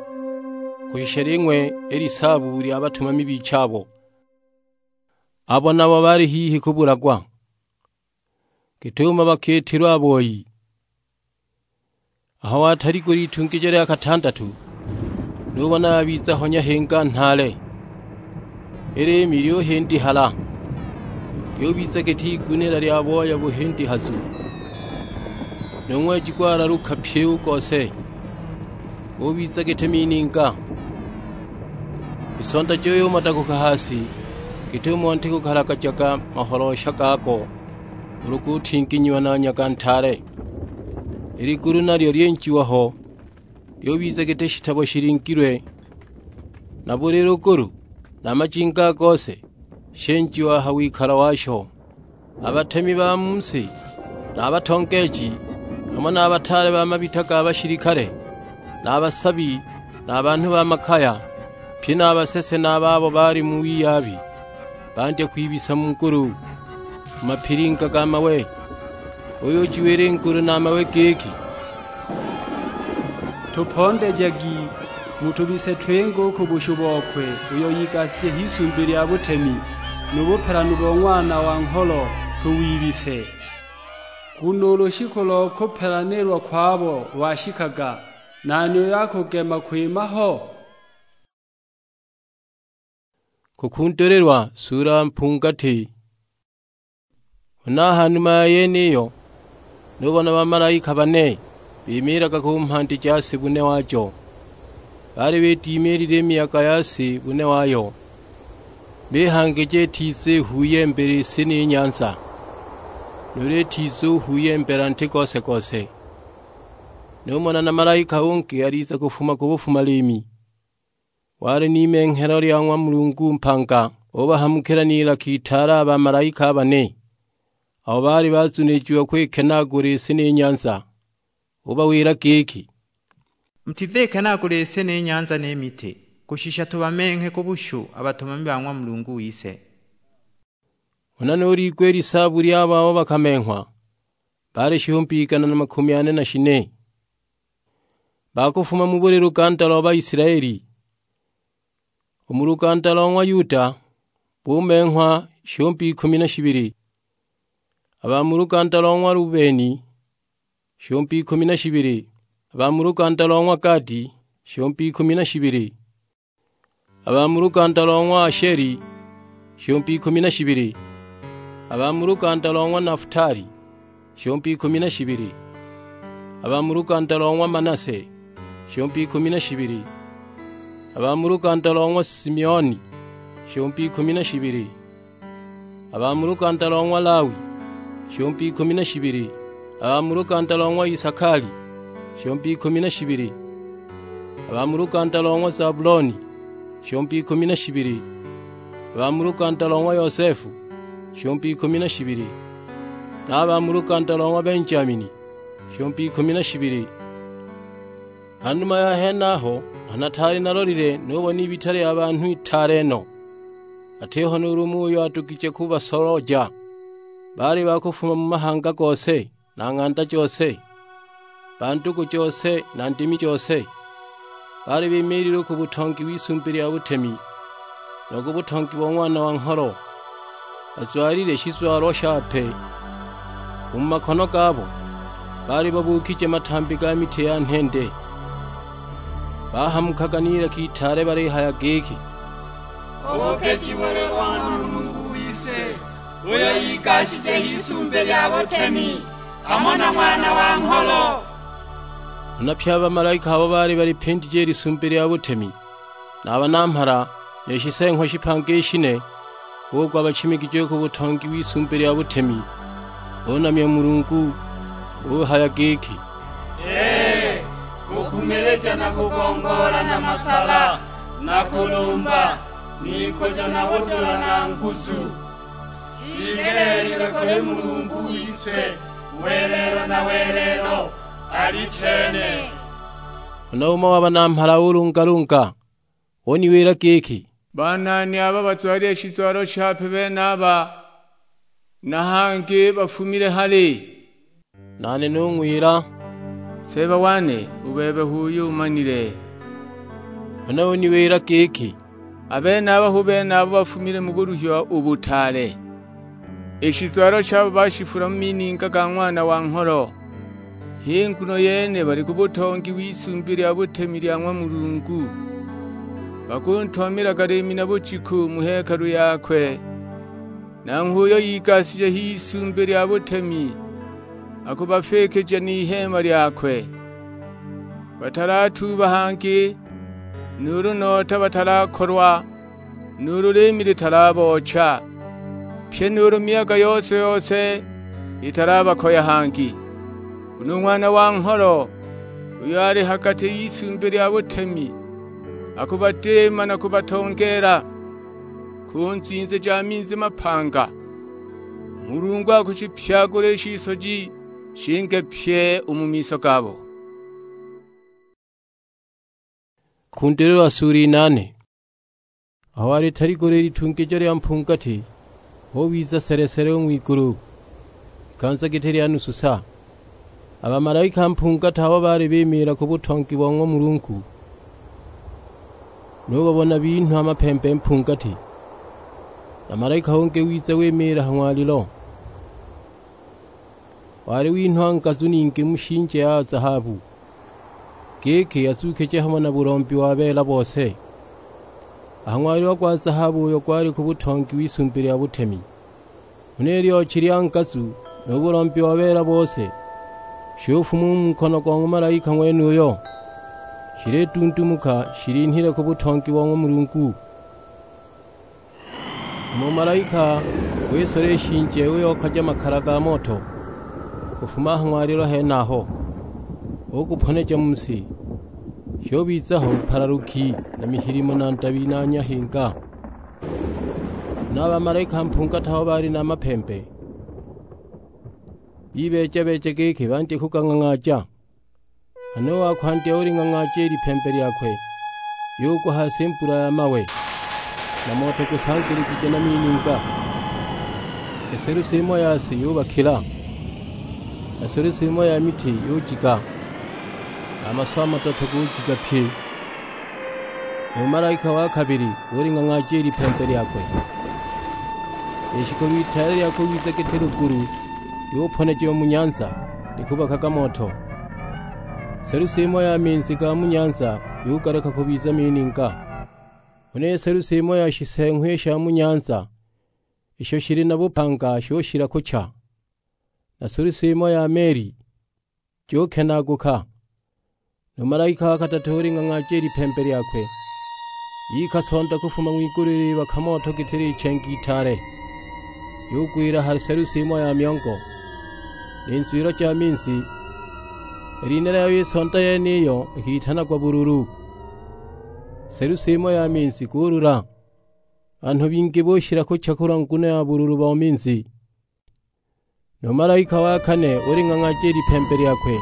kushisha ling'we i lisaabu lya batumami bichabo, abo nabo baali hihi kubulagwa, git'umo bakiitilwe a boi. Aho wataligula itungijo lya katandatu, nubona yabiza ho nyahinga nhaale, i liimi lyuhindihala, lyubiza giti igunila lya booya buhindihazu, nu ng'weji gwalaluka pyi u gose, gubiza giti mininga. I sonda juyumadaguka ha si, git'umo nti gukalagajaga maholoosha gago ulu gutinginyiwa na nyaga ntaale. I ligulu nalyo lyinjiwa ho, lyubiza giti shitabo shilingilwe, na buli lugulu na majinga a gose shinjiwa ha wikalo washo. A batemi ba mu si, na a batongeeji, hamo na a bataale ba mabita ga bashilikale, na a basabi, na a banhu ba makaya, pye na a basese na a babo baali mu wiyabi, bandya kwibisa mu ngulu, mu mapilinga ga mawe. Buyujiwila i ngulu na a mawe giki, "Tupondejagi, mutubise twinge u ku bushu bokwe, uyo igasije h'Isumbi lya butemi, nu bupelanu bo Ng'wana wa Ngholo tuwibise. Nguno u lushiku lo kupelanilwa kwabo lwashikaga, nani uyo akugema kwima ho?" Kukundulilwa suula mpungati. Huna ha numa ya yeniyo, nubona bamalaika bane bimiilaga ku mhandi ja si bune wajo. Baali bidimiilile i miyaga ya si bune wayo, bihangija itiza ihuyembela i si ni nyanza, nuulu itiza uhuyembela nti gose-gose. Numona na malaika ungi aliza kufuma ku bufuma-liimi. Wali n'imenghelo lya ng'wa Mulungu mpanga, ubahamukila n'ilaka itaale a bamalaika a bane, abo baali bazunijiwa kwikenaagula i si ni nyanza. Ubawila giki, "Mutizikenaagula i si ni nyanza ni miti, kushisha tubamenghe ku bushu a batumami ba ng'wa Mulungu wise." Huna nuliigwa i lisaabu lyabo abo bakamenghwa, baali shihumbi igana na makumi ane na shine, ba kufuma mu buli luganda lo Baisilaeli. U mu luganda lo ng'wa Yuda bumenghwa shihumbi ikumi na shibili, a ba mu luganda lo ng'wa Lubeni shihumbi ikumi na shibili, a ba mu luganda lo ng'wa Gadi shihumbi ikumi na shibili, a ba mu luganda lo ng'wa Asheli shihumbi ikumi na shibili, a ba mu luganda lo ng'wa Nafutali shihumbi ikumi na shibili, a ba mu luganda lo ng'wa Manase shihumbi ikumi na shibili, a ba mu luganda lo ng'wa Simioni shihumbi ikumi na shibili, a ba mu luganda lo ng'wa Lawi shihumbi ikumi na shibili, a ba mu luganda lo ng'wa Isakali shihumbi ikumi na shibili, a ba mu luganda lo ng'wa Zabuloni shihumbi ikumi na shibili, a ba mu luganda lo ng'wa Yosefu shihumbi ikumi na shibili, na a ba mu luganda lo ng'wa Benjamini shihumbi ikumi na shibili. Hanuma ya henaho, aho nataali nalolile, nubona ibita lya banhu itaale no, atiho nuulu umo uyo adugije kubasolooja. Baali ba kufuma mu mahanga gose, na ng'anda jose, ba ndugu jose, na ndimi jose. Baali bimiilile u ku butongi w'Isumbi lya butemi, nu ku butongi bo Ng'wana wa Ngholo. Bazwalile shizwalo shape u mu makono gabo, baali babuukije matambi ga miti ya nhende. Bahamukaga n'ilaka itaale balihaya giki, "Bubuukiji buli bo ng'wa Mulungu wise, uyo igashije h'Isumbi lya butemi, hamo na Ng'wana wa Ngholo!" Huna pye a bamalaika abo baali balipindije i Lisumbi lya butemi, na a banamhala, ni shiseeng'wa shipanga i shine, bugwa bachimigije ku butongi w'Isumbi lya butemi, bunamya u Mulungu, buhaya giki, "Ee, kukumilija na kugongoola na masala, na kulumba, n'ikujo na budula na nguzu, shigelelilwe kuli Mulungu wise, welelo na welelo, alichene." Huna umo wa banamhala ulungalunga, uniwila giki, "Banani aba bazwalile shizwalo shape benaba, na hangi bafumile hali?" Nane nung'wila, "Seeba wane, u bebe h'uyo umanile." Huna uniwila giki, "A benaba hu bene abo bafumile mu buluhiwa u butaale. I shizwalo shabo bashifula mu mininga ga Ng'wana wa Ngholo. H'i nguno yene bali ku butongi w'Isumbi lya butemi lya ng'wa Mulungu, bakuntumamilaga liimi na bujiku mu hekalu yakwe. Nanghwe uyo igasija h'Isumbi lya butemi akubafikija n'iheema lyakwe. Batalatuuba hangi, nuulu nota batalakolwa, nuulu liimi litalaboocha, pyi nuulu miyaga yose-yose italabakoya hangi. Nguno u Ng'wana wa Ngholo, uyo ali ha gati y'Isumbi lya butemi, akubadiima na kubatongeela ku nzwinzi ja minzi mapanga. U Mulungu akushipyagula i shisoji shinge pye u mu miso gabo." Kundulilwa sura inane. Aho walitaligula i litungijo lya mpungati, hubiza sele-sele u ng'wigulu, ikanza giti lya nusu sa. A bamalaika mpungati abo baali bimiila ku butongi bo ng'wa Mulungu, nubabona binhwa a mapembe mpungati. Na malaika ungi wiza wimiila ha ng'walilo. Wali winhwa ngazu ningi mu shinje ya zahabu, giki azuukije hamo na bulombi wa beela bose. A ha ng'walilo gwa zahabu uyo gwali ku butongi w'Isumbi lya butemi, huna i lyochi lya ngazu nu bulombi wa beela bose, shufuma u mu nkono go ng'wa malaika ng'wenuyo, shilidundumuka shilinhile ku butongi bo ng'wa Mulungu. Umo malaika wisola i shinje uyokaja makala ga moto kufuma ha ng'walilo henaho, uguponeja mu si, shubiza ho bupalaluki na mihilimo na ndabi na nyahinga. Huna a bamalaika mpungati abo baali na mapembe, bibeeja-beeja giki bandye kugang'ang'aaja. Huna u wa kwandya uling'ang'aaja i lipembe lyakwe, yugwa ha si mbula ya mawe, na moto gusangiligije na mininga. I selusi imo ya si yubakila, na selusi imo ya miti yujiga, na a maswa a madoto gujiga pye. Nu malaika wa kabili uling'ang'aaja i lipembe lyakwe. I shikulu itaale lya kubiza giti lugulu lyuponejiwa mu nyanza, likubakaga moto. Selusi imo ya minzi ga mu nyanza yugaleka kubiza mininga. Huna i selusi imo ya shiseeng'wa i sha mu nyanza isho shili na bupanga shushila kucha, na selusi imo ya meli jukenaaguka. Nu malaika wa kadatu uling'ang'aaja i lipembe lyakwe, iikasonda kufuma ng'wigulu ilibaka moto giti lichengi itaale, yugwila ha selusi imo ya myongo, ni nzwilo ja minzi. I lina lyayo i sonda yeniyo ikitanagwa Bululu. Selusi imo ya minzi gulula, banhu bingi bushila kucha kulwa nguno ya bululu bo minzi. Nu malaika wa kane uling'ang'aaja i lipembe lyakwe,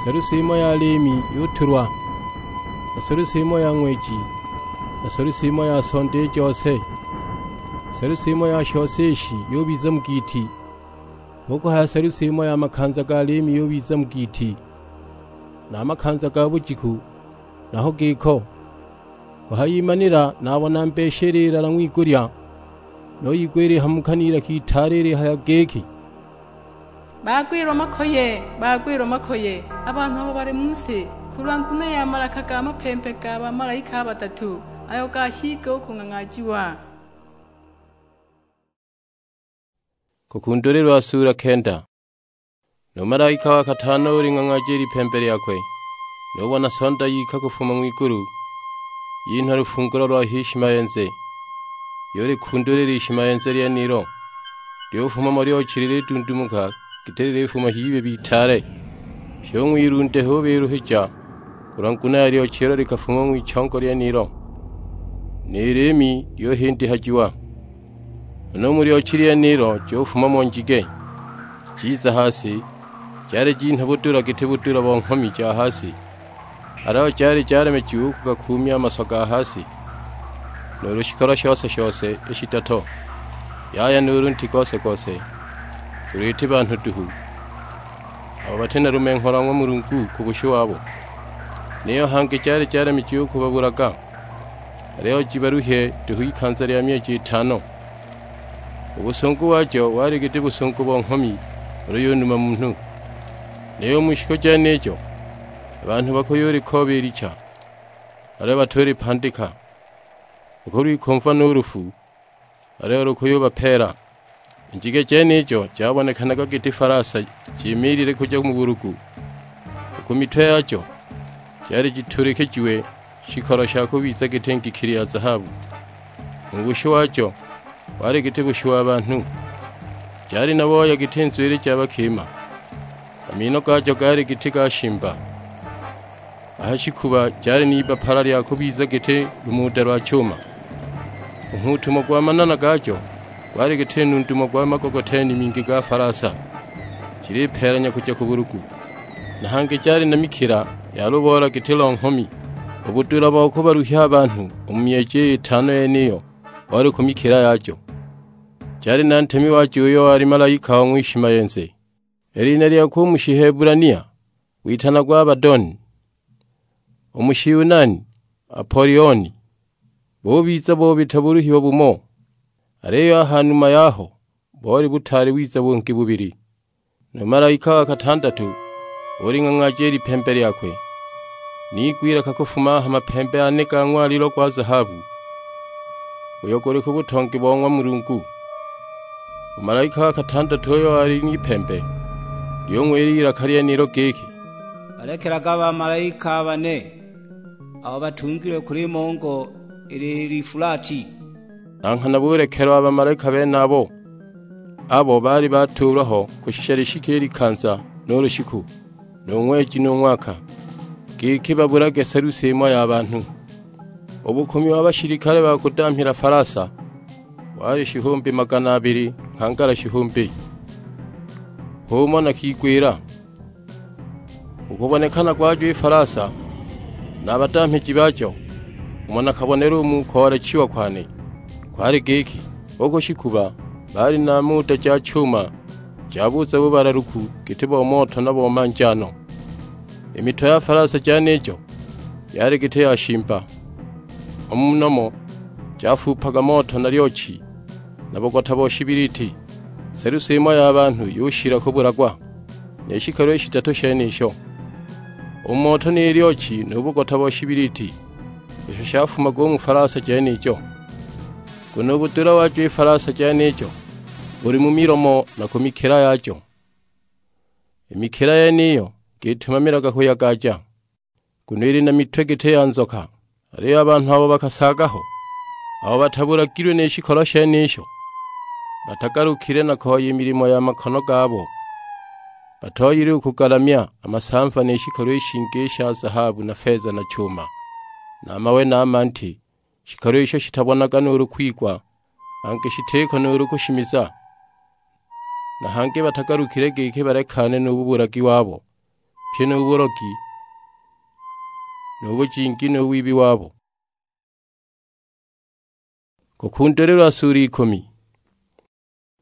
selusi imo ya liimi yutulwa, na selusi imo ya ng'weji, na selusi imo ya sonda i jose. Selusi imo ya shose ishi yubiza mu giiti, hu kuhaya selusi imo ya makanza ga liimi yubiza mu giiti, na a makanza ga bujiku naho giko. Kuhayimanila nabona mbeshi ililala ng'wigulya, nuyigwa ilihamuka n'ilaka itaale ilihaya giki, "Bagwilwa makoye, bagwilwa makoye, a banhu abo bali mu si, kulwa nguno ya malaka ga mapembe ga bamalaika a badatu, ayo gashike u kung'ang'aajiwa." Kukundulilwa sula kenda. Nu malaika wa katano uling'ang'aaja i lipembe lyakwe, nubona sonda yika kufuma ng'wigulu, yinhwa lufungulo lwa h'ishimayenze, yulikundulila i shimayenze lyenilo, lyufuma mo lyochi lilidundumuka giti lilifuma h'ibibi itaale. Pyi u ng'wilunde hubiluhija, kulwa nguno ya lyochi ilo likafuma u ng'wichongo lyenilo, ni liimi lyuhindihajiwa. Huna u mu lyochi lyenilo jufuma mo njige, jiza ha si, jali jinhwa budula giti budula bo nghomi ja ha si, aliyo jali jalemejiwe u kugakuumya a maswa ga ha si, nuulu shikolo shose-shose i shitato, yaya nuulu nti gose-gose, ulu iti banhu duhu, abo bati na lumenho lwa ng'wa Mulungu ku bushu wabo. Niyo hangi jali jalemejiwe u kubabulaga, aliyo jibaluhye duhu ikanza lya myeji itano. U busungu wajo wali giti busungu bo nghomi ulu yunuma munhu. Niyo u mu shiku jenijo, a banhu bakuyulikooba i licha, aliyo batulipandika, bakulwikumva nu lufu, aliyo lukuyubapeela. I njige jenijo jabonekanaga giti falasa jimiilile kuja mu bulugu. U ku mitwe yajo jali jitulikijiwe shikolo sha kubiza giti ngikili ya zahabu. U bushu wajo wali giti bushu wa banhu, jali na booya giti nzwili ja bakima. A mino gajo gaali giti ga shimba. A ha shikuba jali n'ibbapala lya kubiza giti lumuda lwa chuma. U nghuutumo gwa manana gajo gwali giti nundumo gwa magogoteni mingi ga falasa, jilipeelanya kuja ku bulugu. Na hangi jali na mikila ya luboola giti lo nghomi. U budula bo kubaluhya a banhu u mu myeji iyo itano yeniyo boli ku mikila yajo. Jali na ntemi wajo uyo wali malaika o ng'wishimayenze. I lina lyakwe u mu Shihebulania witanagwa Abadoni, u mu Shiyunani Apolioni. Bubiza bubita buluhiwa bumo, aliyo a ha numa yaho boli butaali wiza bungi bubili. Nu malaika wa katandatu uling'ang'aaja i lipembe lyakwe, niigwa ilaka kufuma a ha mapembe ane ga ng'walilo gwa zahabu, uyo guli ku butongi bo ng'wa Mulungu. U malaika wa katandatu uyo wali n'ipembe, lyung'wila i lilaka lyenilo giki, "Balekelaga a bamalaika a bane, abo batungilwe kuli mongo ili Lifulati." Na nghana bulekelwa a bamalaika benabo, abo baali batuulwa ho kushisha lishike i likanza nu lushiku, nu ng'weji nu ng'waka, giki babulage selusi imo ya banhu. U bukumi wa bashilikale ba kudamhila falasa wali shihumbi magana abili nghangala shihumbi. H'umo nakigwila, u kubonekana gwajo i falasa na a badamhiji bajo, umo nakabonela u mu koolechiwa kwane, kwali giki, u ku shikuba baali na muda ja chuma ja buza bubalaluku giti bo moto na bo manjano. I mitwe ya falasa jenijo yali giti ya shimba, u mu nomo jafuupaga moto na lyochi na bugota bo shibiliti. Selusi imo ya banhu yushila kubulagwa, ni shikolo i shidatu shenisho, u moto ni lyochi nu bugota bo shibiliti, isho shafumaga u mu falasa jenijo. Nguno u budula wajo i falasa jenijo buli mu milomo na ku mikila yajo. I mikila yeniyo gitumamilaga kuyagaja, nguno ili na mitwe giti ya nzoka. Aliyo a banhu abo bakasaaga ho, abo batabulagilwe ni shikolo shenisho, batagalukile na koya i milimo ya makono gabo, batoyile u kugalamya a masamva ni shikolo i shingi i sha zahabu na feza na chuma, na a mawe na a manti, shikolo isho shitabonaga nuulu kwigwa, hangi shitiko nuulu kushimiza. Na hangi batagalukile giki balekane nu bubulagi wabo, pyi nu bulogi, nu bujingi, nu wibi wabo. Kukundulilwa suula ikumi.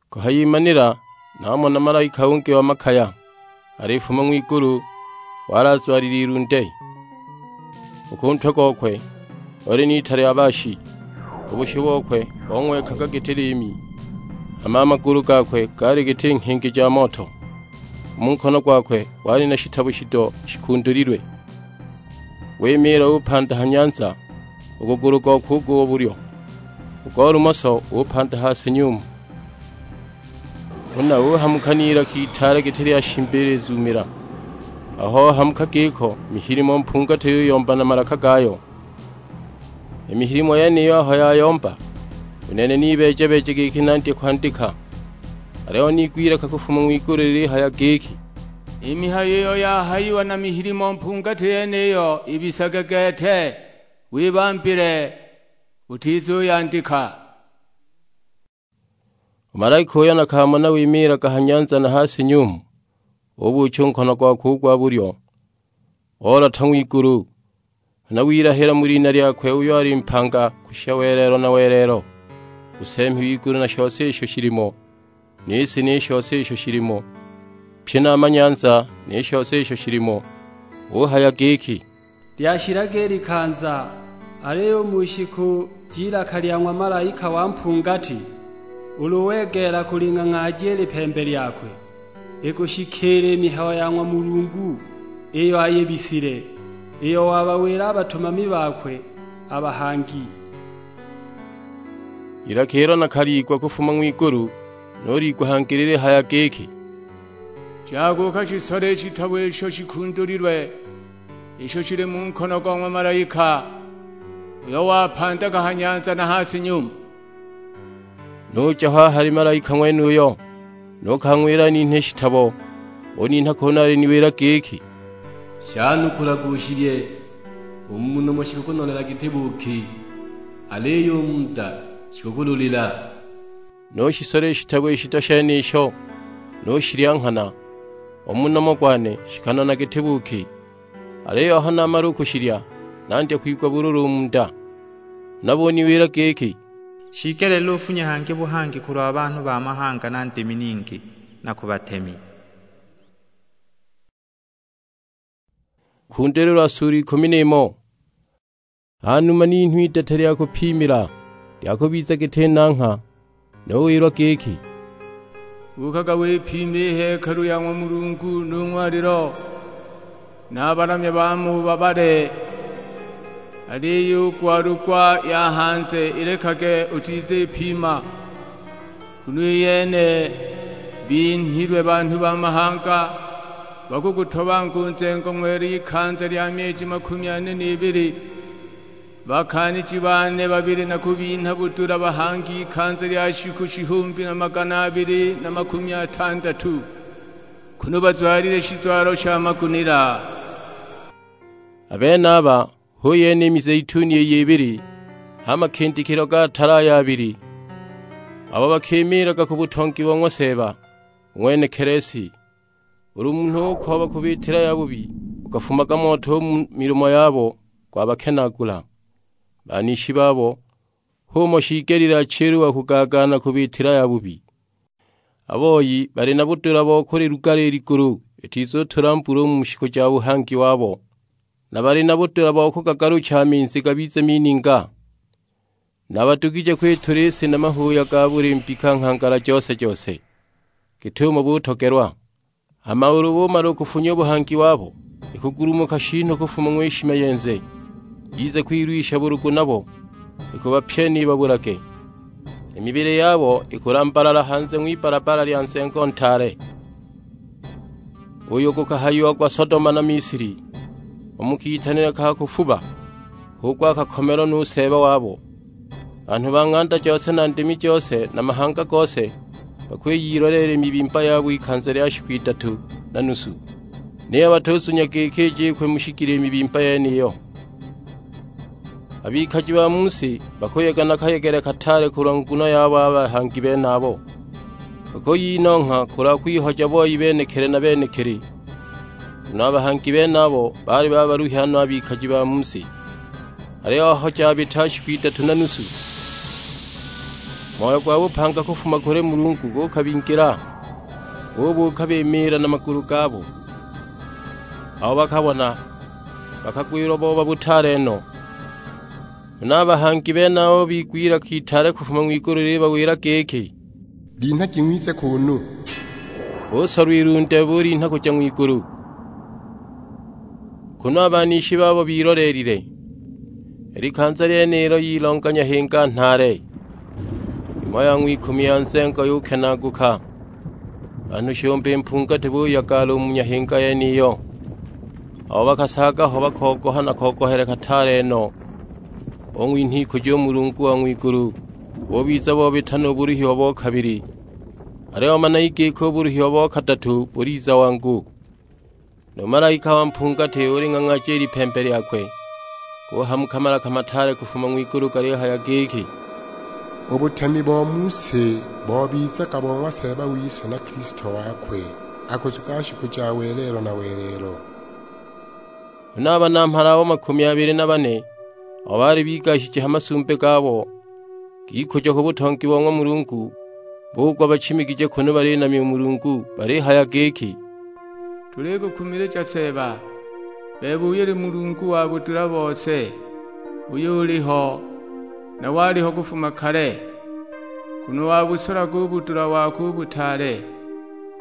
Kuhayimanila namona malaika ungi wa makaya, alifuma ng'wigulu, wali azwalile ilunde. U ku ntwe gokwe oli n'ita lya baashi, u bushu bokwe bong'wekaga giti liimi, hama a magulu gakwe gaali giti nghingi ja moto. U mu nkono gwakwe wali na shitabo shido shikundulilwe. Wimiila upanda ha nyanza, u gugulu gokwe u go bulyo, u go lumoso upanda ha si nyumu. Huna uhamuka n'ilaka itaale giti lya shimba ilizuumila. Aho ohamuka giko, i mihilimo mpungati yuyomba na malaka gayo. I mihilimo yeniyo aho yayomba, u nene nibeeja-beeja giki nandye kwandika. Aliyo niigwa ilaka kufuma ng'wigulu lilihaya giki, "I mihayo iyo yahayiwa na mihilimo mpungati yeniyo ibisage gete, wibambile, utizuyandika." U malaika uyo nakamona wimiilaga ha nyanza na ha si nyumu, ubuucha u nkono gwakwe u gwa bulyo, olota ng'wigulu. Huna wilahila mu lina lyakwe uyo ali mpanga kushisha welelo na welelo, u Seembi w'igulu na shose isho shilimo, ni si ni shose isho shilimo, pyi na a manyanza ni shose isho shilimo, uhaya giki, "Lyashilaga i likanza, aliyo u mu shiku j'ilaka lya ng'wa malaika wa mpungati, ulu wegeela kuling'ang'aaja i lipembe lyakwe, ikushikiila i mihayo ya ng'wa Mulungu iyo ayibisile, iyo wabawila a batumami bakwe a bahangi." Ilaka ilo nakaliigwa kufuma ng'wigulu, nuliigwa hangi lilihaya giki, "Jaga ukashisole i shitabo isho shikundulilwe, isho shili mu nkono go ng'wa malaika, uyo wapandaga ha nyanza na ha si nyumu." Nuja ho a hali malaika ng'wenuyo, nukang'wila aninhe i shitabo. Uninha kunu aliniwila giki, "Shanukulage ushilye, u mu nomo shikukunolela giti buuki, aliyo u mu nda shikukululila." Nushisola i shitabo i shito shenisho, nushilya nghana, u mu nomo gwane shikanona giti buuki. Aliyo aho namala u kushilya, nandya kwigwa bululu u mu nda. Huna buniwila giki, "Shiigelile ufunye hangi buhangi kulwa banhu ba mahanga na ndimi ningi, na ku batemi." Kundulilwa suulu ikumi n'imo. Ha numa ninhwa idete lya kupimila, lya kubiza giti nangha, nuwilwa giki, "Buukaga wipime i hekalu ya ng'wa Mulungu nu ng'walilo, na a balamya ba mu babale, aliyo i gwalugwa ya hanze ilekage utizipima, nguno i yene binhilwe banhu ba mahanga, bakugutobanga u nzengo ng'wela ikanza lya myeji makumi ane n'ibili." Bakaaniji bane babili nakubinha budula bahangi ikanza lya shiku shihumbi na magana abili na makumi atandatu, kunu bazwalile shizwalo sha magunila. A benaba hu yene i mizeituni iyo ibili ha makindikilo ga tala ayo abili, abo bakimiilaga ku butongi bo ng'wa Seeba, u ng'wenekili si. Ulu munhu ukooba kubiitila yabubi, gukafumaga moto u mu milomo yabo, gwabakenaagula. Banishi babo h'umo shiigelile achilwe wa kugagaana kubiitila yabubi. A boi bali na budula bo kuliluga i ligulu, itizutula mbula u mu shiku ja buhangi wabo, na bali na budula bo kugagalucha a minzi gabize mininga. Na badugije kwitula i si na mahuuya ga buli mbika nghangala jose-jose, git'umo butogelwa. Hama ulu bumala u kufunya u buhangi wabo, ikugulumuka shinhu kufuma ng'wishima yenze, yize kwilwisha bulugu nabo, ikubapyena ibabulage. I mibili yabo ikulambalala hanze ng'wibbala-bbala lya nzengo ntaale, uyo gukahayiagwa Sodoma na Misili, u mu kitanile ka kufuba, hu gwa kakomelwa nu Seeba wabo. Banhu ba ng'anda jose na ndimi jose na mahanga gose bakwiyiloleela i mibimba yabo ikanza lya shiku idatu na nusu, niyo batuzunya giki ijikwe mu shigili i mibimba yeniyo. A bikaji ba mu si bakuyega na kayegele kataale kulwa nguno yabo a bahangi benabo. Bakuyinongha kulwa kwihoja boi benekili na benekili, nguno a bahangi benabo baali babaluhya no a bikaji ba mu si. Aliyo aho jabita shiku idatu na nusu, moyo gwa bupanga kufuma kuli Mulungu gukabingila, bubuuka bimiila na magulu gabo. Aho bakabona, bakagwilwa booba butaale no. Huna a bahangi benabo bigwa ilaka itaale kufuma ng'wigulu lilibawila giki, "Linhagi ng'wize kuunu!" Busolwa ilunde bulinha kuja ng'wigulu, kunu a banishi babo biloleelile. I likanza lyenilo yilonganya hinga nhaale, imo ya ng'wikumi ya nzengo yukenaaguka. Banhu shihumbi mpungati buyagala u mu nyahinga yeniyo. Abo bakasaaga ho bakogoha na kogohele kataale no, bung'winha ikujo u Mulungu wa ng'wigulu, bubiza bobita nu buluhiwa bo kabili. Aliyo managi giki u buluhiwa bo kadatu buliza wangu. Nu malaika wa mpungati uling'ang'aaja i lipembe lyakwe, guhamuka malaka mataale kufuma ng'wigulu galihaya giki, "U butemi bo mu si bobizaga bo ng'wa Seeba wise na Kilisto wakwe, akuzuga shiku ja welelo na welelo." Huna a banamhala abo makumi abili na bane, abo baali bigashije ha masumbi gabo, gikujo ku butongi bo ng'wa Mulungu, bugwa bachimigije kunu balinamya u Mulungu, balihaya giki, "Tulikukumilija Seeba, bebe uyo uli Mulungu wa budula bose, uyo uliho, na waliho kufuma kale, nguno wabusolaga u budula wako u butaale.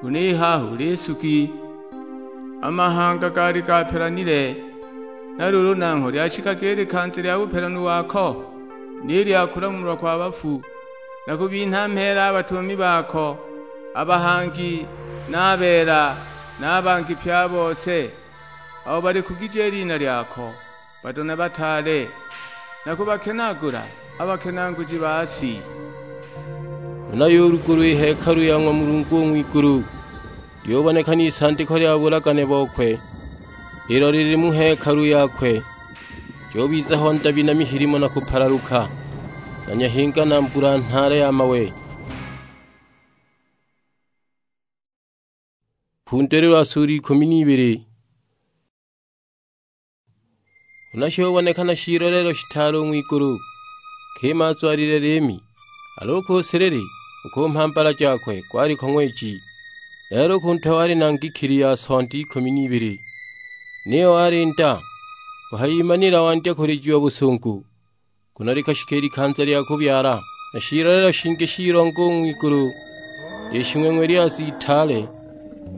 Nguno i haha uli nsugi, a mahanga gaali gapelanile, na luulu nangho lyashikaga i likanza lya bupelanu wako, ni lya kulamulwa kwa bafu, na kubinha mheela a batumami bako, a bahangi, na a beela, na a bangi pye a bose, abo balikugije i lina lyako, bato na bataale, na kubakenaagula a bakenaanguji ba si." Huna yulugulwa i hekalu ya ng'wa Mulungu u ng'wigulu, lyuboneka n'isandiko lya bulagane bokwe, ilo lili mu hekalu yakwe. Jubiza ho ndabi na mihilimo na kupalaluka, na nyahinga na mbula nhaale ya mawe. Kundulilwa sura ikumi n'ibili. Huna shubonekana shilolelo shitaale u ng'wigulu, nkima azwalile liimi, aliyo u ku silili u ku mhambala jakwe gwaliko ng'weji. Lelo u ku ntwe wali na ngikili ya sonda ikumi n'ibili, niyo wali nda, uhayimanila wandya kulijiwa busungu. Nguno likashika i likanza lya kubyala, na shilolelo shingi shilonga u ng'wigulu, i shing'weng'we lyaza itaale,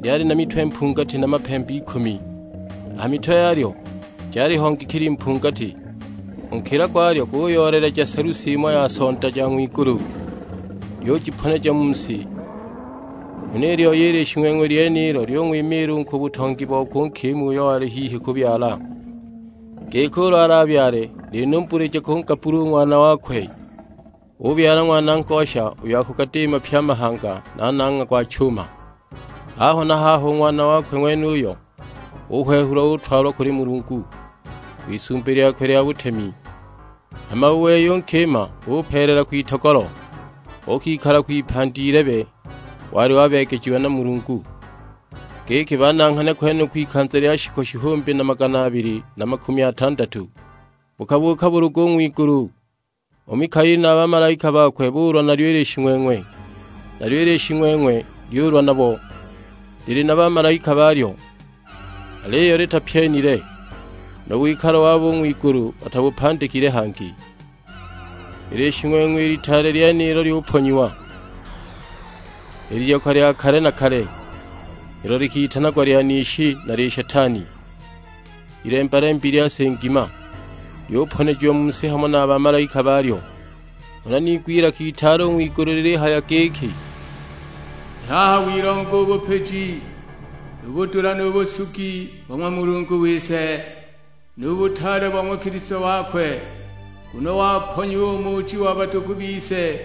lyali na mitwe mpungati na mapembe ikumi. A ha mitwe yalyo jaliho ngikili mpungati, u nkila gwalyo guyooleleja selusi imo ya sonda ja ng'wigulu, lyujiponeja mu si. Huna i lyoya i lishing'weng'we lyenilo lyung'wimiila u ku butongi bokwe u nkima uyo wali hihi kubyala. Giki ulu alabyale, linumbulije kungabula u ng'wana wakwe. Ubyala ng'wana ngosha uyo akugadiima pye a mahanga na nang'wa gwa chuma. Haho na haho u ng'wana wakwe ng'wenuyo uhwehulwa utwalwa kuli Mulungu, kw'isumbi lyakwe lya butemi. Hama u wei u nkima upeelela kwitogolo, ukikala kwipandi ilebe wali wabeegejiwa na Mulungu. Giki bananghane kwenuko ikanza lya shikolo shihumbi na magana abili na makumi atandatu, bukabuuka bulugu u ng'wigulu. U Mikaeli na a bamalaika bakwe buulwa nalyo i lishing'weng'we, nalyo i lishing'weng'we lyulwa nabo, lili na bamalaika balyo, aliyo litapyenile, nu wikalo wabo u ng'wigulu batabupandikile hangi. I lishing'weng'we i litaale lyenilo lyuponyiwa, i liyoka lya kale na kale, ilo likitanagwa lya nishi na lya Shetani, ilemba-lembi lya si ngima, lyuponejiwa mu si hamo na a bamalaika balyo. Huna niigwa ilaka itaale u ng'wigulu lilihaya giki, "I haha wilonga u bupiji, nu budula, nu busugi bo ng'wa Mulungu wise, nu butaale bo ng'wa Kilisto wakwe, nguno waponyiwa u muuji wa badugu bise,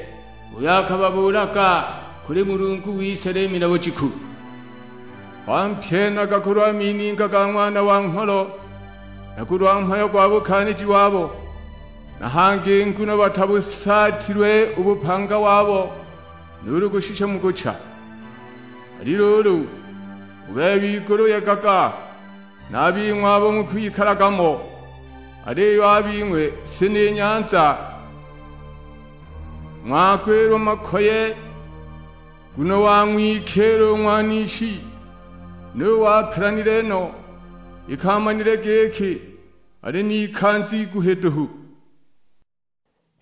uyo akababuulaga kuli Mulungu wise liimi na bujiku. Wampyenaga kulwa mininga ga Ng'wana wa Ngholo, na kulwa mhayo gwa bukaaniji wabo, na hangi nguno batabusaatilwe u bupanga wabo nuulu kushisha mu kucha. Ali luulu, u bebe igulu yegaga, na a bing'we abo mukwikalaga mo, aliyo a bing'we si ni nyanza. Ng'wagwilwa makoye, nguno wang'wikiila u ng'wanishi, nu wapelanile no, iki amanile giki ali n'ikanza iguhi duhu."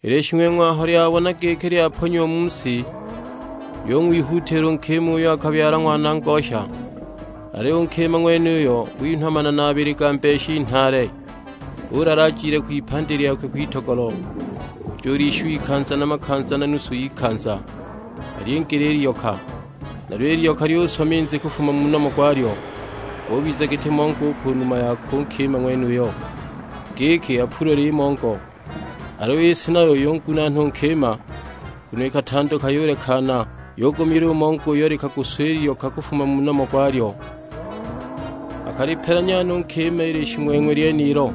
I lishing'weng'we aho lyabona giki lyaponyiwa mu si, lyung'wihuutila u nkima uyo akabyala ng'wana ngosha. Aliyo u nkima ng'wenuyo winhwa manana abili ga mbeshi nhale, ulala ajile kwipandi lyakwe kwitogolo, kujulishiwa ikanza na makanza na nusu y'ikanza, alyingile i liyoka. Nalyo i lyoka lyuswa minzi kufuma mu nomo gwalyo, gubiza giti mongo u ku numa yakwe u nkima ng'wenuyo, giki apulule i mongo. Aliyo i si nayo yungunaana u nkima, nguno ikatanduka yulekana, yugumila u mongo uyo likaguswa i lyoka kufuma mu nomo gwalyo. Akalipelanya no u nkima i lishing'weng'we lyenilo,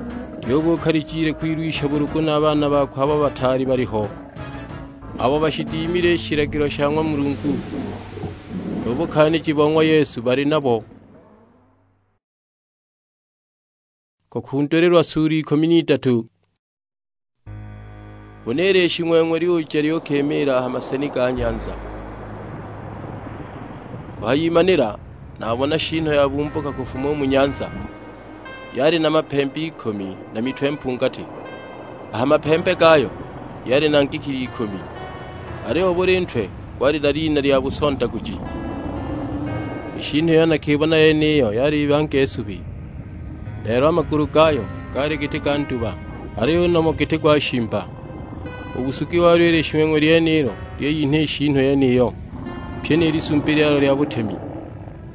lyubuuka lijile kwilwisha bulugu na a baana bakwe abo bataali baliho, abo bashidimile i shilagilo sha ng'wa Mulungu, nu bukaaniji bo ng'wa Yesu bali nabo. Kukundulilwa sulu ikumi n'idatu. Huna i lishing'weng'we lyuja lyukimiila a ha maseni ga nyanza. Kuhayimanila nabona shinho yabumbuka kufuma u mu nyanza, yali na mapembe ikumi na mitwe mpungati. A ha mapembe gayo yali na ngikili ikumi, aliyo buli ntwe gwali na lina lya busondaguji. I shinho iyo nakibona yeniyo yali ibange subi, lelo a magulu gayo gaali giti ga nduba, aliyo u nomo giti gwa shimba. U busugi walyo i lishing'weng'we lyenilo lyeyinha i shinho yeniyo, pyi ni lisumbi lyalyo lya butemi,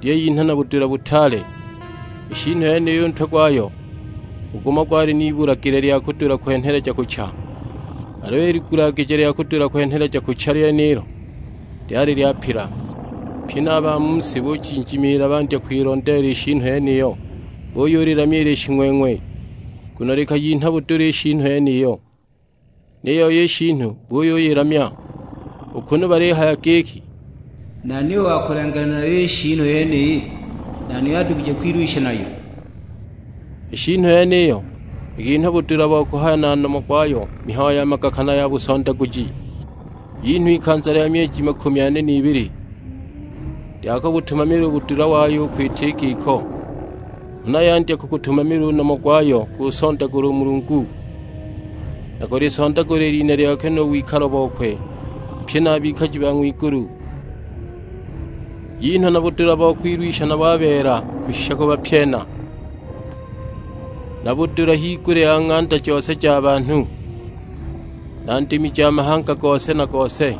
lyeyinha na budula butaale. I shinho yeniyo u ntwe gwayo, u gumo gwali n'ibulagile lya kudula kwenheleja kucha, aliyo i ligulagije lya kudula kwenheleja kucha lyenilo lyali lyapila. Pye na a ba mu si bujinjimiila bandya kwilondeela i shinho yeniyo, buyulilamya i lishing'weng'we, nguno likayinha budula i shinho yeniyo. Niyo i shinhu buyuyilamya, u kunu balihaya giki, "Nani uyo wakulenganila nayo i shinhu yeniyi? Nani uyo adugije kwilwisha nayo?" I shinhu yeniyo ikinhwa budula bo kuhaya na nomo gwayo mihayo ya magakana ya busondaguji. Yinhwa ikanza lya myeji makumi ane n'ibili, lya kubutumamila u budula wayo u kwita i giko. Huna yandya kugutumamila u nomo gwayo gusondagula u Mulungu, na kulisondagula i lina lyakwe nu wikalo bokwe, pye na a bikaji ba ng'wigulu. Yinhwa na budula bo kwilwisha nabo a beela kushisha kubapyena, na budula higulya ya ng'anda jose ja banhu, na ndimi ja mahanga gose na gose.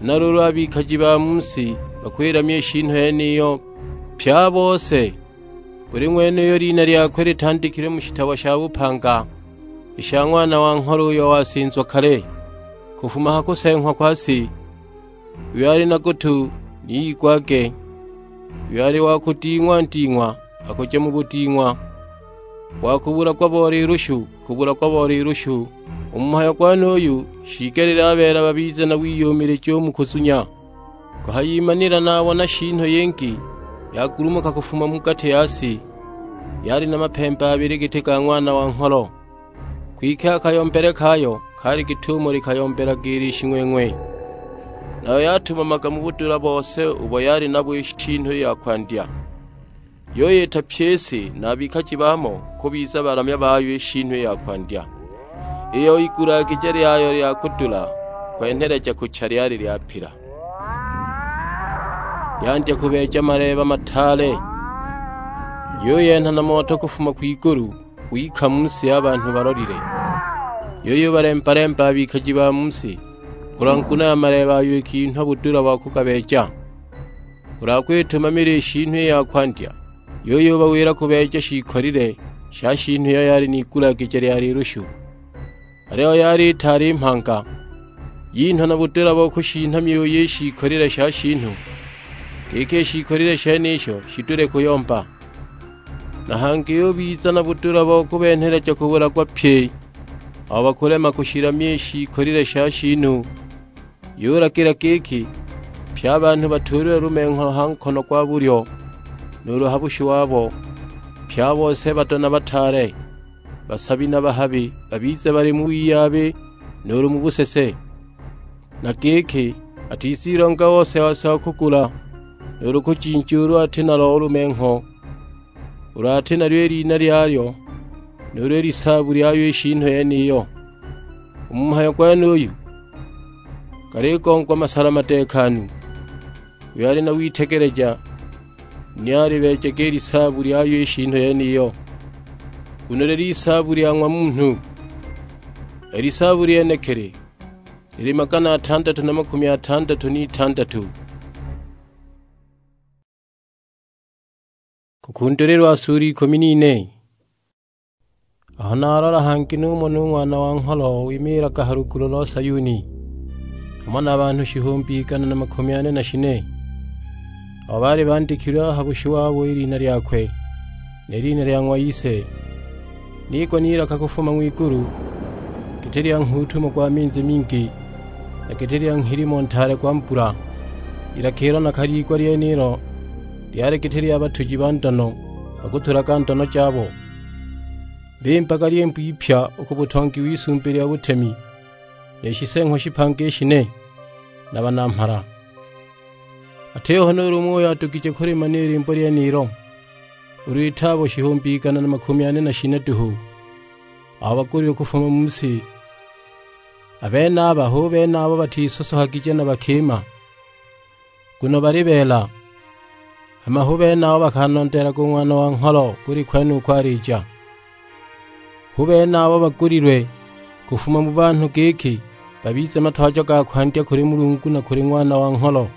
Huna luulu a bikaji ba mu si bakwilamya i shinhu yeniyo, pye a bose. Buli ng'wene uyo lina lyakwe litandikilwe mu shitabo sha bupanga i sha Ng'wana wa Ngholo uyo wasinzwa kale, kufuma ha kuseeng'wa kwa si. Uyo ali na gutu, ni igwage. Uyo ali wa kuding'wa-nding'wa, akuja mu buding'wa. Wa kubulagwa bo lilushu, kubulagwa bo lilushu. U mu mhayo gwenuyu, shiigelile a beela babize na wiyumilija u mu kuzunya. Kuhayimanila nabona shinhu yingi yagulumuka kufuma mu gati ya si, yali na mapembe abili giti ga Ng'wana wa Ngholo. Kwike a kayombele kayo kaali git'umo likayombelaga i lishing'weng'we, nayo yatumamaga mu budula bose ubo yali nabo i shinhu i ya kwandya. Yuyita pyi i si na a bikaji bamo kubiza balamya bayo i shinhu i ya kwandya, iyo igulagije lyayo lya kudula kwenheleja kucha lyali lyapila. Yandya kubeeja maleeba mataale, yuyenha na moto kufuma kwigulu gwika mu si a banhu balolile. Yuyubalemba-lemba a bikaji ba mu si kulwa nguno ya maleeba ayo ikinhwa budula bo kugabeeja. Kulwa kwitumamila i shinhu i ya kwandya, yuyubawila kubeeja shiikolile sha shinhu iyo yali n'igulagije lya lilushu, aliyo yali itaali mhanga. Yinhwa na budula bo kushinha myuyi i shiikolile sha shinhu, giki i shiikolile shenisho shidule kuyomba. Na hangi yubiza na budula bo kubenheleja kubulagwa pye abo bakulema kushilamya i shiikolile sha shinhu. Yulagila giki, pye a banhu batuulilwe lumengho ha nkono gwa bulyo, nuulu ha bushu wabo, pye a bose bado na bataale, basabi na bahabi, babize bali mu wiyabi nuulu mu busese. Na giki, atizilonga ose-ose wa kugula, nuulu kujinja ulu ati nalo u lumengho, ulu ati nalyo i lina lyayo, nuulu i lisaabu lyayo i shinhu yeniyo. U mu mhayo gwenuyu galigongwa masala madeekanu. Uyo ali na witegeleja, ni alibeejage i lisaabu lyayo i shinhu yeniyo, nguno lili isaabu lya ng'wa munhu. I lisaabu lyenekili lili magana atandatu na makumi atandatu n'itandatu. Kukundulilwa suulu ikumi n'ine. Aho nalola hangi numona u Ng'wana wa Ngholo wimiilaga ha lugulu lo Sayuni, hamo na banhu shihumbi igana na makumi ane na shine, abo baali bandikilwe a ha bushu wabo i lina lyakwe, ni lina lya ng'wa Ise. Niigwa n'ilaka kufuma ng'wigulu, giti lya nghuutumo gwa minzi mingi, na giti lya nghilimo ntaale gwa mbula. Ilaka ilo nakalyigwa lyenilo lyali giti lya batuji ba ndono, bakutulaga ndono jabo. Bimbaga lyimbo ipya u ku butongi w'Isumbi lya butemi, ni shiseeng'wa shipanga i shine, na banamhala. Atiho nuulu umo uyo adugije kulimana i limbo lyenilo, ulu iti abo shihumbi igana na makumi ane na shine duhu, abo bagulilwe kufuma mu si. A benaba hu bene abo batisosohagije na bakima, nguno bali beela. Hama hu bene abo bakanondeelaga u Ng'wana wa Ngholo buli kwene uko alija. Hu bene abo bagulilwe kufuma mu banhu giki babize matwajo ga kwandya kuli Mulungu na kuli Ng'wana wa Ngholo.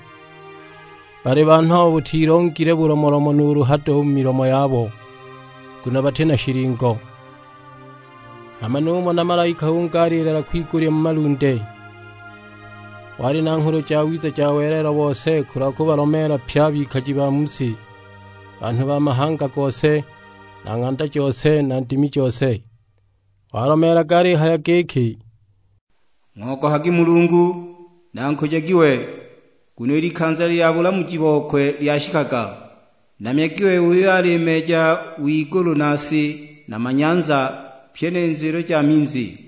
Bali banhu abo butilongile bulomolomo nuulu hado u mu milomo yabo, nguno bati na shilingo. Hama numona malaika ungi aliilela kwigulya mu malunde. Wali na nghulu jawiza ja welelo bose kulwa kubalomeela pye a bikaji ba mu si, banhu ba mahanga gose, na ng'anda jose, na ndimi jose. Walomeelaga alihaya giki, "Ng'ogohagi Mulungu, na nkujagi we, nguno i likanza lya bulamuji bokwe lyashikaga. Namyagi we uyo alimeeja w'igulu na si, na ma nyanza, pyi ni nzwilo ja minzi."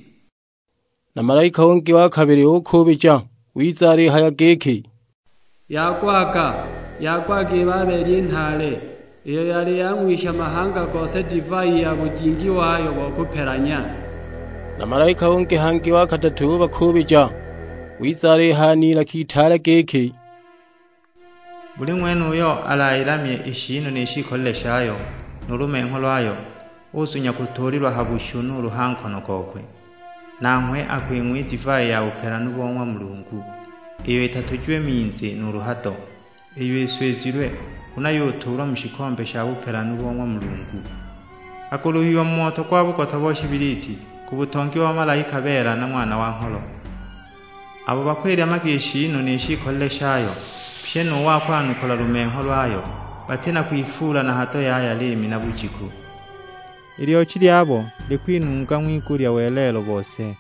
Na malaika ungi wa kabili ukuubija, wiza alihaya giki, "Yagwaga, yagwaga i Babeli i nhaale, iyo yali yang'wisha mahanga gose divai ya bujingi wayo bo kupelanya." Na malaika ungi hangi wa kadatu ubakuubija, wiza alihaya n'ilaka itaale giki, "Buli ng'wene uyo alayilamye i shiinu ni shiikolile shayo, nu lumengho lwayo, uzunya kutuulilwa ha bushu nuulu ha nkono gokwe. Nanghwe akwing'wa i divai ya bupelanu bo ng'wa Mulungu, iyo itatujiwe minzi nuulu hado, iyo iswizilwe, huna yutuulwa mu shikombe sha bupelanu bo ng'wa Mulungu. Akuluhiwa mu moto gwa bugota bo shibiliti, ku butongi wa malaika beela na Ng'wana wa Ngholo. Abo bakwilyamaga i shiinu ni shiikolile shayo, pyi nu wa kwanukula lumengho lwayo, bati na kwifuula na hado yaya liimi na bujiku. I lyochi lyabo likwinunga ng'wigulya welelo bose."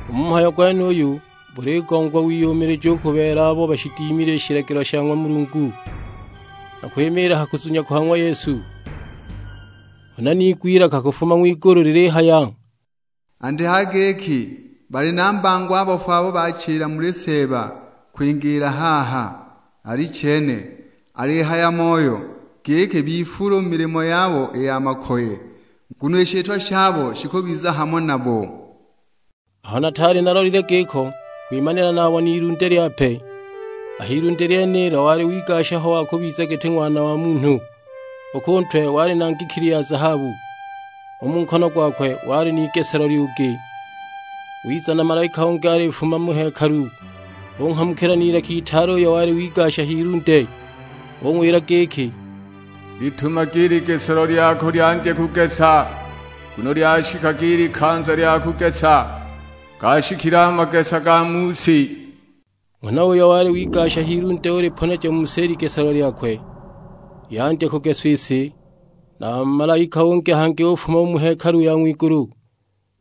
U mu mhayo gwenuyu buligongwa wiyumilija u ku beela abo bashidimile i shilagilo sha ng'wa Mulungu, na kwimiila ha kuzunya kwa ng'wa Yesu. Huna niigwa ilaka kufuma ng'wigulu lilihaya, "Andika giki, 'Bali na mbango a bafu abo bachila muli Seeba kwingiila haha.' Alichene, alihaya Moyo, giki bifuule u milimo yabo i ya makoye, nguno i shitwa shabo shikubiza hamo nabo." Aho nataali nalolile giko, kwimanila nabona ilunde lyape. A h'ilunde lyenilo wali wigasha ho wa kubiza giti Ng'wana wa Munhu. U ku ntwe wali na ngikili ya zahabu, u mu nkono gwakwe wali n'igeselo lyugi. Wiza na malaika ungi alifuma mu hekalu, unghamukila n'ilaka itaale uyo wali wigasha h'ilunde, ung'wila giki, "Litumagi i ligeselo lyako lyandye kugesa, nguno lyashikaga i likanza lya kugesa, gashikile a magesa ga mu si." Nghana uyo wali wigasha h'ilunde uliponeja mu si i ligeselo lyakwe, lyandya kugeswa i si. Na malaika ungi hangi ufuma u mu hekalu ya ng'wigulu,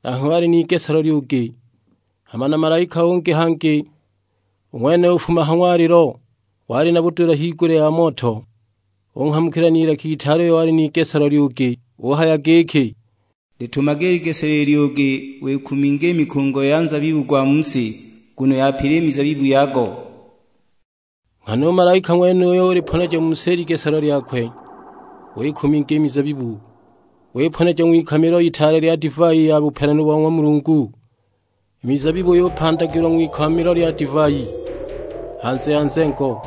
nanghwe wali n'igeselo lyugi. Hama na malaika ungi hangi, u ng'wene ufuma ha ng'walilo, wali na budula higulya ya moto, unghamukila n'ilaka itaale uyo wali n'igeselo lyugi, uhaya giki, "Litumage i ligeselo lyugi, wikuminge i mikungo ya nzabibu gwa mu si, nguno yapile i mizabibu yago." Nghana u malaika ng'wenuyo uliponeja mu si i ligeselo lyakwe, wikuminga i mizabibu, wiponeja ng'wikamilo itaale lya divai ya bupelanu bo ng'wa Mulungu. I mizabibu yupandagilwa ng'wikamilo lya divai, hanze ya nzengo.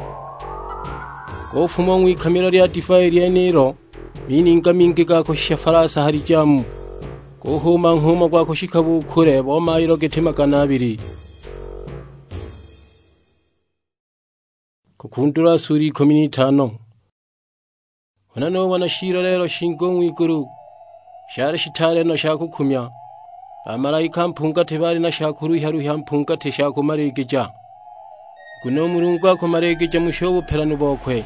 Gufuma u ng'wikamilo lya divai lyenilo mininga mingi ga kushisha falasa ha lijamu, guhuuma nghuuma gwa kushika bukule bo mailo giti magana abili. Kukundulwa sura ikumi n'itano. Huna nubona shiiloleelo shingi u ng'wigulu, shali shitaale no sha kukumya. Bamalaika mpungati baali na sha kuluhya-luhya mpungati sha kumaligija, nguno u Mulungu akumaligija musho u bupelanu bokwe.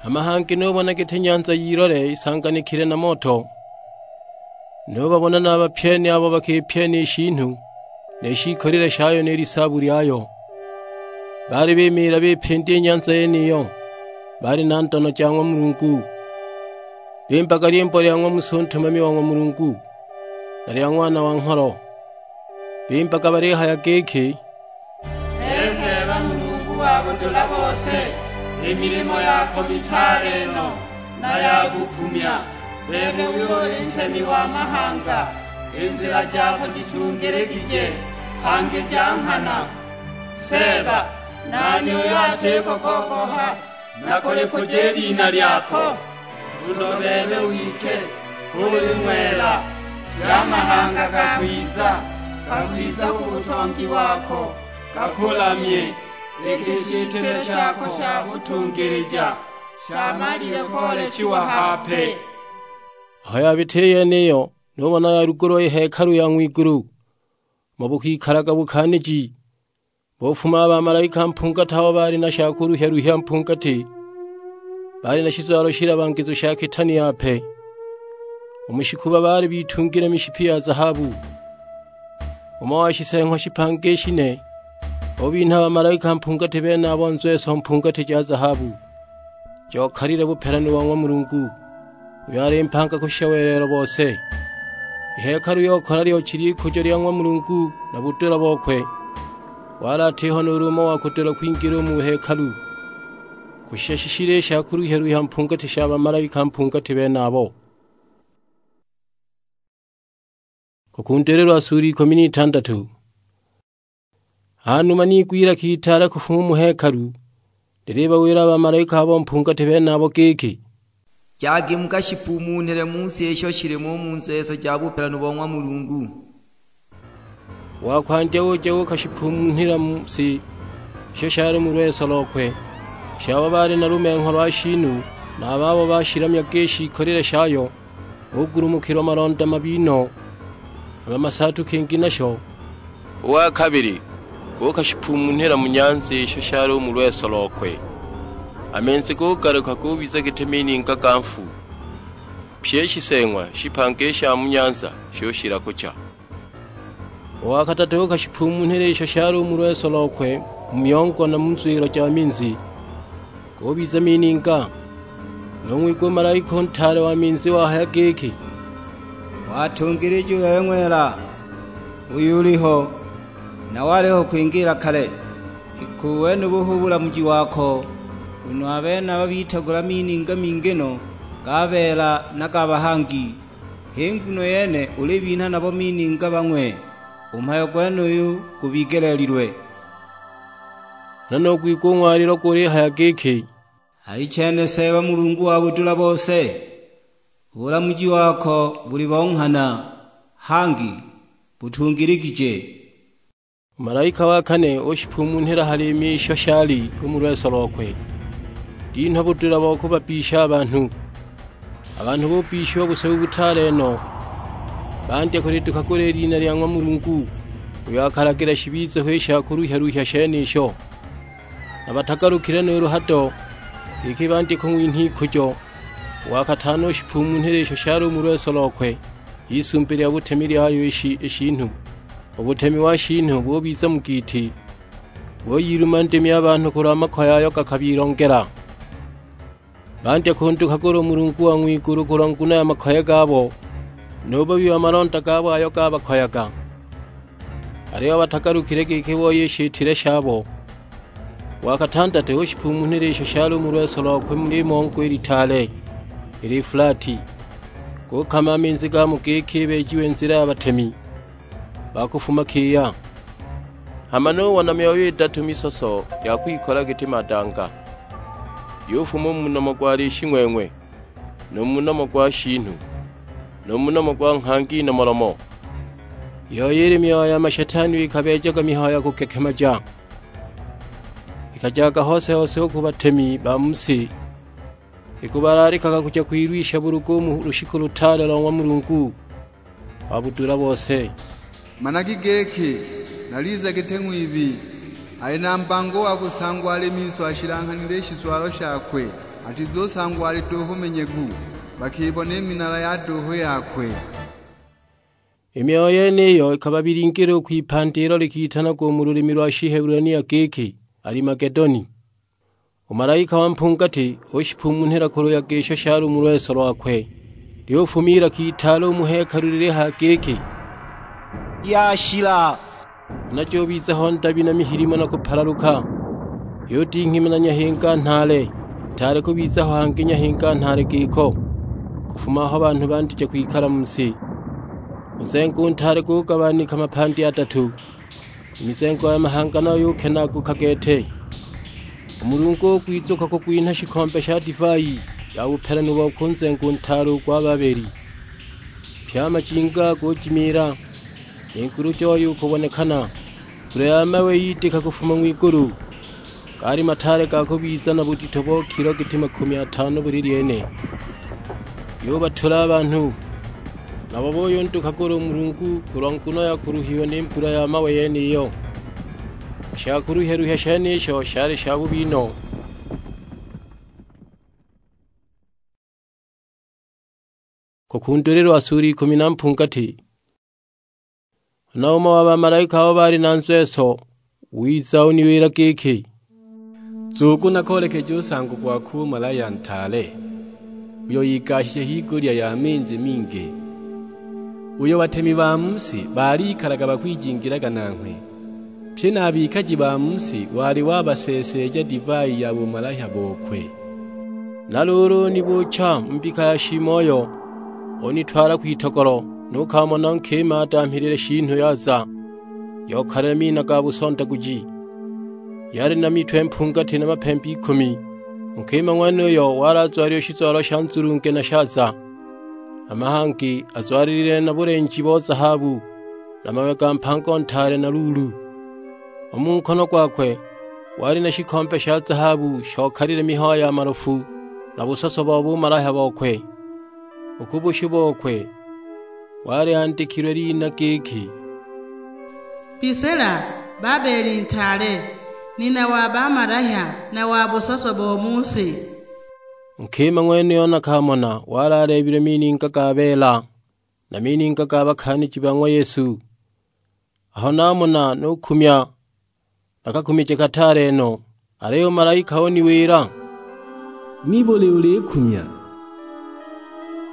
Hama hangi nubona giti nyanza y'ilole isanganikile na moto. Nubabona na a bapyeni abo bakipyena i shiinu, ni shiikolile shayo ni lisaabu lyayo. Baali bimiila bipinda i nyanza yeniyo, baali na ndono ja ng'wa Mulungu. Bimbaga lyimbo lya ng'wa Musa u ntumami wa ng'wa Mulungu, na lya Ng'wana wa Ngholo. Bimbaga balihaya giki, "Ee Seeba Mulungu wa budula bose, i milimo yako mitaale no na ya kukumya. Bebe uyo uli ntemi wa mahanga, i nzila jako jitungiligije, hangi ja nghana. Seeba, nani uyo atiko kogoha na kulikuja i lina lyako? Nguno bebe wike uli ng'wela, pye a mahanga gakwiza, gakwiza ku butongi wako, gakulamye, iki i shitile shako sha butungilija shamalile koolechiwa hape." Aho yabita i yeniyo, nubona yalugulwa i hekalu ya ng'wigulu, umo bukwikalaga bukaaniji. Bufuma a bamalaika mpungati abo baali na sha kuluhya-luhya mpungati, baali na shizwalo shilabangizu sha kitani yape. U mu shikuba baali bitungile mishipi ya zahabu. Umo wa shiseeng'wa shipanga i shine ubinha bamalaika mpungati benabo nzweso mpungati ja zahabu, jokalile bupelanu bo ng'wa Mulungu, uyo ali mpanga kushisha welelo bose. I hekalu yokola lyochi ly'ikujo lya ng'wa Mulungu na budula bokwe, wali atiho nuulu umo wa kudula kwingila u mu hekalu, kushisha shishile i sha kuluhya-luhya mpungati sha bamalaika mpungati benabo. Kukundulilwa sura ikumi n'itandatu. Ha numa niigwa ilaka itaale kufuma u mu hekalu, lilibawila a bamalaika abo mpungati benabo giki, "Jagi mukashipumunhile mu si isho shilimo u mu nzweso ja bupelanu bo ng'wa Mulungu." Wa kwandya uja uukashipumunhila mu si isho shali mu lweso lokwe, shabo baali na lumengho lwa shiinu, na a babo bashilamyaga i shiikolile shayo, ugulumukilwa malonda mabi no, hama masaatu kingi nasho. U wa kabili uukashipumunhila mu nyanza isho shali u mu lweso lokwe, a minzi gugaluka gubiza giti mininga ga nfu, pyi i shiseeng'wa shipanga i sha mu nyanza shushila kucha. U wa kadatu uukashipumunhila isho shali u mu lweso lokwe mu myongo na mu nzwilo ja minzi, gubiza mininga. Nung'wigwa u malaika u ntaale wa minzi wahaya giki, "Watungilija u bebe ng'wela, uyo uliho, na waliho kwingiila kale. Iki u wenubu hu bulamuji wako, nguno a benaba bitagula mininga mingi no ga beela na ga bahangi. H'i nguno yene ulibinha nabo mininga bang'we, u mhayo gwenuyu gubigeleelilwe." Huna nugwigwa u ng'walilo gulihaya giki, "Alichene Seeba Mulungu wa budula bose, u bulamuji wako buli bo nghana, hangi butungiligije." U malaika wa kane ushipumunhila hali i misho shali u mu lweso lokwe, linhwa budula bo kubabbisha a banhu. A banhu bubbishiwa busebu butaale no, bandya kulidukagula i lina lya ng'wa Mulungu, uyo akalagila shibize ho i sha kuluhya-luhya shenisho. Na batagalukile nuulu hado, giki bandye kung'winha ikujo. U wa katano ushipumunhila isho shali u mu lweso lokwe, h'isumbi lya butemi lyayo i shi-, i shiinu. U butemi wa shiinu bubiza mu giiti, buyiluma ndimi a banhu kulwa makoye ayo gakabilongela. Bandya kundukagula u Mulungu wa ng'wigulu kulwa nguno ya makoye gabo, nu bubi wa malonda gabo ayo gabakoyaga. Aliyo batagalukile giki booye i shitile shabo. Wa katandatu ushipumunhila isho shali u mu lweso lokwe muli mongo i litaale, i Lifulati, gukama a minzi gamo giki ibeejiwe nzila ya batemi ba kufuma kiya. Hama nubona myoyo idatu misoso ya kwikola giti madanga, yufuma u mu nomo gwa lishi-ng'weng'we, nu mu nomo gwa shiinu, nu mu nomo gwa nghangi inomolomo. Iyo ili myoyo ya mashetani iyo ikabeejaga mihayo ya kugekemaja, ikajaga hose-hose u ku batemi ba mu si, Ikubalaalikaga kuja kwilwisha bulugu u mu lushiku lutaale lo ng'wa Mulungu wa budula bose. Managi giki, naliza giti ng'wibi, ali na mbango wa kusangwa ali miso ashilanghanile i shizwalo shakwe, atizusangwa ali duuhu menyegu, bakibona i minala ya duuhu yakwe. I mihayo yeniyo ikababilingila u kwipandi ilo likitanagwa u mu lulimi lwa Shihebulania giki, Alimagedoni. U malaika wa mpungati ushipumunhila kuluyaga isho shali u mu lweso lwakwe. Lyufuma ilaka itaale u mu hekalu lilihaya giki, "Lyashila!" Huna jubiza ho ndabi na mihilimo na kupalaluka, yudinghima na nyahinga nhaale, itaali kubiza ho hangi nyahinga nhaale giko, kufuma aho banhu bandija kwikala mu si. U nzengo u ntaale gugabanika mapandi adatu, i mizengo ya mahanga nayo yukenaaguka gete. U Mulungu ugwizuka kugwinha shikombe sha divai ya bupelanu bokwe u nzengo u ntaale u gwa Babeli. Pye a majinga gujimiila, ni ngulu joyo ukubonekana, mbula ya mawe yidika kufuma ng'wigulu. Gaali mataale ga kubiza na budito bo kilo giti makumi atano buli lyene. Yubatula a banhu, nabo buyundukagula u Mulungu kulwa nguno ya kuluhiwa ni mbula ya mawe yeniyo. I shakuluhya-luhya shenisho shali shabubi no. Kukundulilwa sulu ikumi na mpungati. Huna umo wa bamalaika abo baali na nzweso wiza uniwila giki, "Nzugu nakoolekeje u nsango gwakwe u malaya ntaale, uyo igashishe higulya ya minzi mingi, uyo batemi ba mu si baalikalaga bakwijingilaga nanghwe, pye na a bikaji ba mu si wali wabaseeseeja divai ya bumalahya bokwe." Na luulu unibuucha mu mbika ya shiimoyo, unitwala kwitogolo, nukamona nkima adamhilile shiinu yaza, yokalile mina ga busondaguji. Yali na mitwe mpungati na mapembe ikumi. U nkima ng'wenuyo wali azwalilwe shizwalo sha nzulunge na shaza, hama hangi azwalilile na bulenji bo zahabu, na mawe ga mpango ntaale na luulu. U mu nkono gwakwe wali na shikombe sha zahabu shokalile mihayo ya malofu na busoso bo bumalahya bokwe. U ku bushu bokwe waliandikilwe lina giki, "Bisila, Babeli ntaale, nina wa bamalahya na wa busoso bo mu si." U nkima ng'wenuyo nakamona wali aleebilwe mininga ga beela, na mininga ga bakaaniji ba ng'wa Yesu. Aho namona nukumya, nakakumije kataale no, aliyo u malaika uniwila, "Nibuli ulikumya?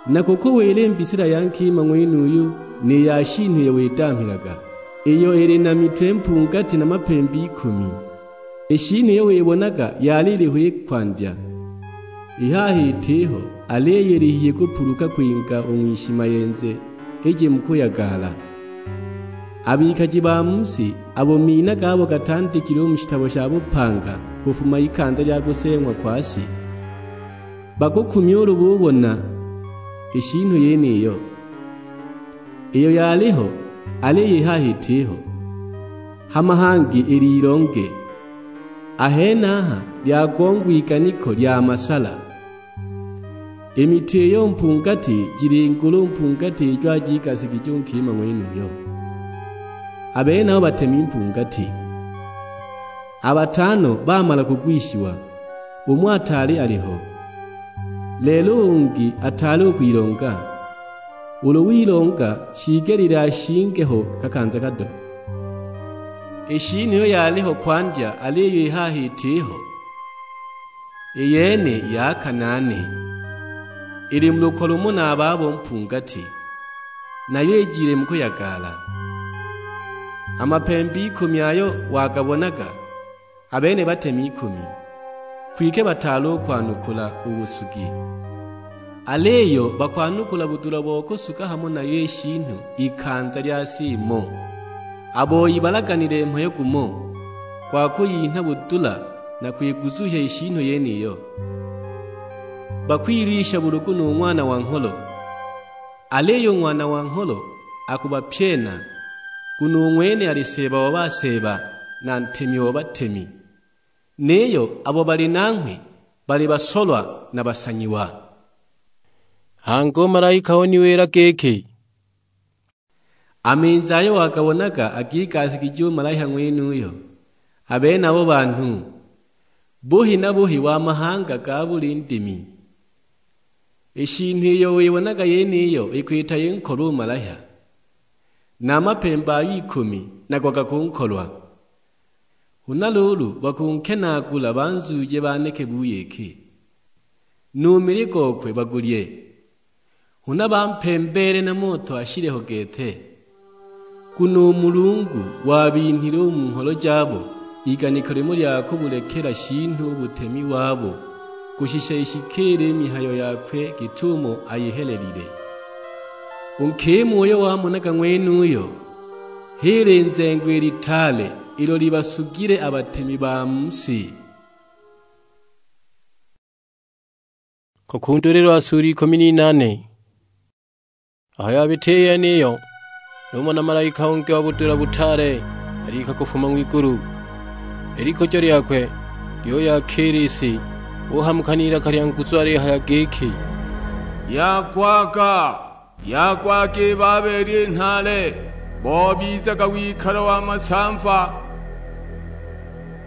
Nakukuwila i mbisila ya nkima ng'wenuyu, ni ya shiinu iyo widamhilaga, iyo ili na mitwe mpungati na mapembe ikumi. I shiinu iyo wibonaga yali iliho i kwandya, i haha itiho, aliyo ili hihi kupuluka kwinga u ng'wishimayenze ije mu kuyagala. A bikaji ba mu si, abo mina gabo gatandikilwe u mu shitabo sha bupanga kufuma ikanza lya kuseeng'wa kwa si, bakukumya ulu bubona i shiinu yeniyo, iyo yaliho, aliyo i haha itiho, hama hangi ili ilonge. A henaha lyagongwa iganiko lya masala. I mitwe iyo mpungati jili ngulu mpungati ijo ajigasigije u nkima ng'wenuyo. A benabo batemi mpungati. A batano bamala kugwishiwa, umo ataali aliho, lelo u ungi ataali u kwilonga. Ulu wilonga, shiigelile ashinge ho kakanza kado. I shiinu iyo yaliho kwandya, aliyo i haha itiho, i yene ya kanaane, ili mu luko lumo na a babo mpungati, nayo ijile mu kuyagala. A mapembe ikumi ayo wagabonaga, a bene batemi ikumi, kwike bataali u kwanukula u busugi. Aliyo bakwanukula budula bo kusuga hamo nayo i shiinu ikanza lya si imo. A boi balaganile mhayo gumo, gwa kuyinha budula na kwiguzuhya i shiinu yeniyo. Bakwilwisha bulugu nu Ng'wana wa Ngholo, aliyo u Ng'wana wa Ngholo akubapyena, nguno u ng'wene ali Seeba wa baseeba, na Ntemi o batemi. Niyo abo bali nanghwe bali basolwa na basanyiwa. Hangi u malaika uniwila giki, "A minzhi ayo wagabonaga akigaasigijiwa u malaika ng'wenuyo, a benabo banhu, buhi na buhi wa mahanga ga buli ndimi. I shiinu iyo wibonaga yeniyo ikwita inkolwa u malaika, na a mapemba ayo ikumi nago gakunkolwa. Huna luulu bakunkenaagula banzuuje baneke buyiki, nu mili gokwe bagulye, huna bampembeele na moto ashile ho gete. Nguno u Mulungu wabinhile u mu ngholo jabo iganiko limo lya kubulekela shiinu u butemi wabo, kushisha ishikiile i mihayo yakwe git'umo ayihelelile." U nkima uyo wamonaga ng'wenuyo, h'i linzengo i litaale ilo libasugile a batemi ba mu si. Kakundulilwa sura ikumi n'inane. Aho yabita i yeniyo, numona malaika ungi wa budula butaale alika kufuma ng'wigulu. I likujo lyakwe lyuyakiila i si, uhamuka n'ilaka lya nguzu alihaya giki, "Yagwaga, yagwaga i Babeli i nhaale, bobizaga wikalo wa masamva,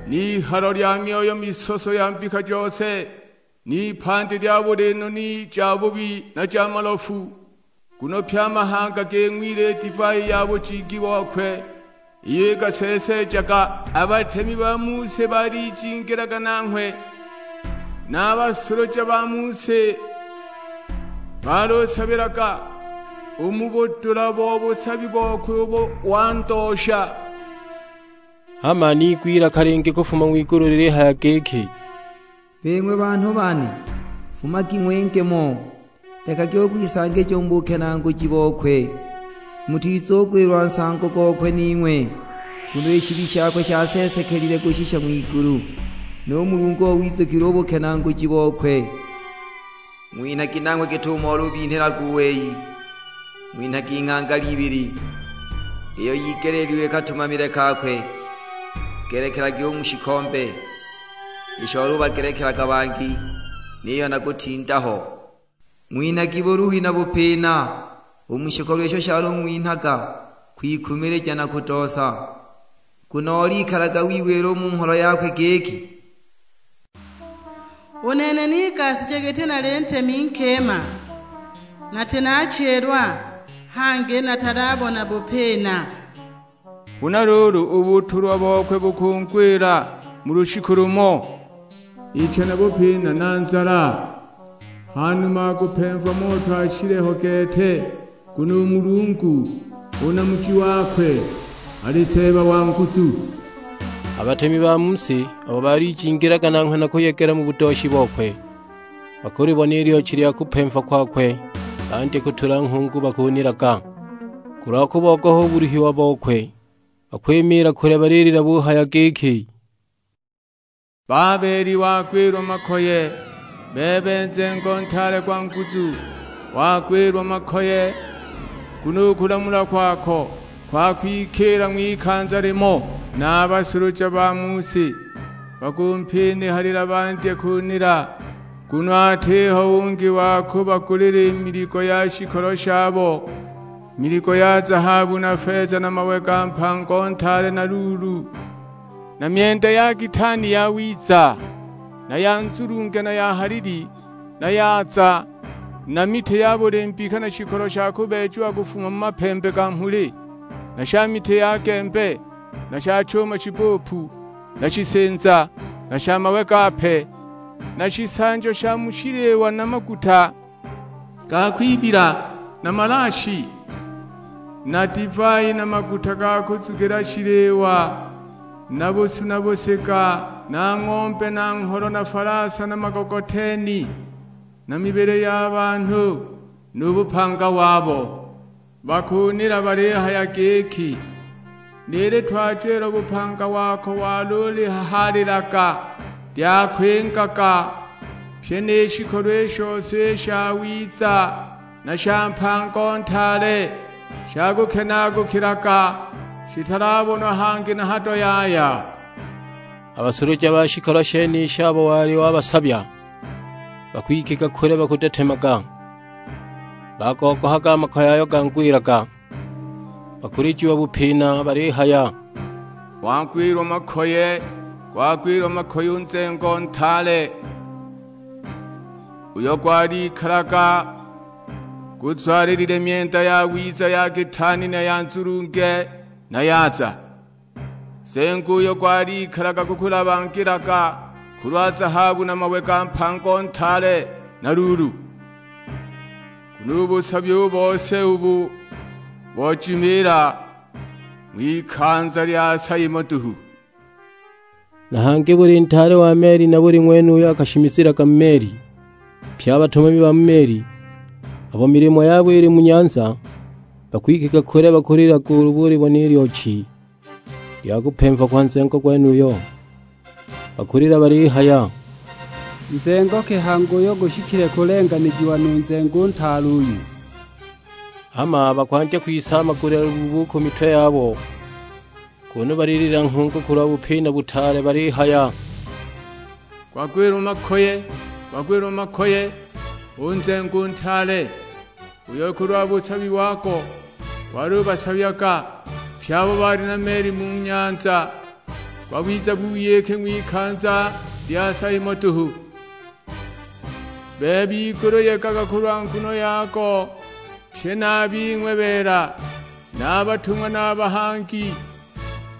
n'ihalo lya myoyo misoso ya mbika jose, n'ipandi lya buli noni jabubi na ja malofu. Nguno pye a mahanga ging'wile i divai ya bujingi bokwe, iyo igaseeseejaga. A batemi ba mu si balijingilaga nanghwe, na a basuluja ba mu si balusabilaga u mu budula bo busabi bokwe ubo wandoosha." Hama niigwa ilaka lingi kufuma ng'wigulu lilihaya giki, "Bing'we banhu bane, fumagi ng'winge mo, lekagi u kwisangija u mu bukenaanguji bokwe, mutizugwilwa nsango gokwe ning'we. Nguno i shibi shakwe shaseesekelile kushisha ng'wigulu, nu Mulungu o wizukilwe u bukenaanguji bokwe. Ng'winhagi nanghwe git'umo olubinhilaga u wei, ng'winhagi nghangali ibili, iyo yigeleelilwe katumamile kakwe. Gelekelagi u mu shikombe, isho olubagelekelaga bangi, niyo nakutinda ho. Ng'winhagi buluhi na bupina u mu shikolo isho shalung'winhaga kwikumilija na kudoosa, nguno olikalaga wiwila u mu ngholo yakwe giki, 'U nene nigasije giti nali ntemi nkima, nati nachilwa, hangi natalabona bupina.' Huna luulu u butulwa bokwe bukungwila mu lushiku lumo, icha na bupina na nzala, hanuma akupemva moto ashile ho gete. Nguno u Mulungu, u Namuji wakwe, ali Seeba wa nguzu." A batemi ba mu si abo balijingilaga nanghwe na kuyegela mu budooshi bokwe, bakulibona i lyochi lya kupemva kwakwe, bandye kutula nghungu bakunilaga. Kulwa kubogoha u buluhiwa bokwe, bakwimiila kule balilila buhaya giki, "Babeli wagwilwa makoye, bebe nzengo ntaale gwa nguzu, wagwilwa makoye, nguno u kulamula kwako kwakwikiila ng'wikanza limo, na a basuluja ba mu si bakumpinihalila bandye kunila, nguno atiho ungi wa kubagulila i miligo ya shikolo shabo, miligo ya zahabu na feza na mawe ga mpango ntaale na luulu, na myenda ya gitani yawiza, na ya nzulunge na ya halili, na yaza, na miti ya buli mbika na shikolo sha kubeejiwa kufuma mu mapembe ga mhuli, na sha miti ya gembe, na sha chuma shibuupu, na shisinza, na sha mawe gape, na shisanjo sha mu shiliwa na maguta ga kwibila, na malaashi, na divai na maguta ga kuzugila shiliwa, na busu na busiga, na ng'ombe na ngholo na falasa na magogoteni, na mibili ya banhu, nu bupanga wabo." Bakunila balihaya giki, "Nili twajwilwa bupanga wako walulihahaalilaga, lyakwingaga, pyi ni shikolo i shose i shawiza na sha mpango ntaale, shakukenaagukilaga, shitalabonwa hangi na hado yaya." A basuluja ba shikolo shenisho abo wali wabasabya, bakwikika kule bakutetemaga. Bagogohaga a makoye ayo gangwilaga, bakulijiwa bupina balihaya, "Gwagwilwa makoye, gwagwilwa makoye u nzengo ntaale, uyo gwalikalaga guzwalilile myenda yawiza ya kitaani na ya nzulunge na yaza! Nzengo uyo gwalikalaga gukulabangilaga kulwa zahabu na mawe ga mpango ntaale na luulu, nguno u busabi u bose ubu bojimiila ng'wikanza lya sa imo duhu." Na hangi buli ntaale wa meli na buli ng'wene uyo akashimizilaga mu meli, pye a batumami ba mu meli, abo milimo yabo ili mu nyanza, bakwikika kule bakulilaga ulu bulibona i lyochi lya kupemva kwa nzengo gwenuyo. Bakulila balihaya, "Nzengo ki hangi uyo gushikile kulenganijiwa nu nzengo u ntaale uyu?" Hama bakwandya kwisaamagulila lubuubu ku mitwe yabo, kunu balilila nghungu kulwa bupina butaale balihaya, "Gwagwilwa makoye, gwagwilwa makoye, u nzengo u ntaale, uyo kulwa busabi wago gwali ubasabyaga pye abo baali na meli mu nyanza, gwabiza buyike ng'wikanza lya sa imo duhu! Bebe igulu yegaga kulwa nguno yago, pye na a bing'we beela, na a batung'wa na a bahangi,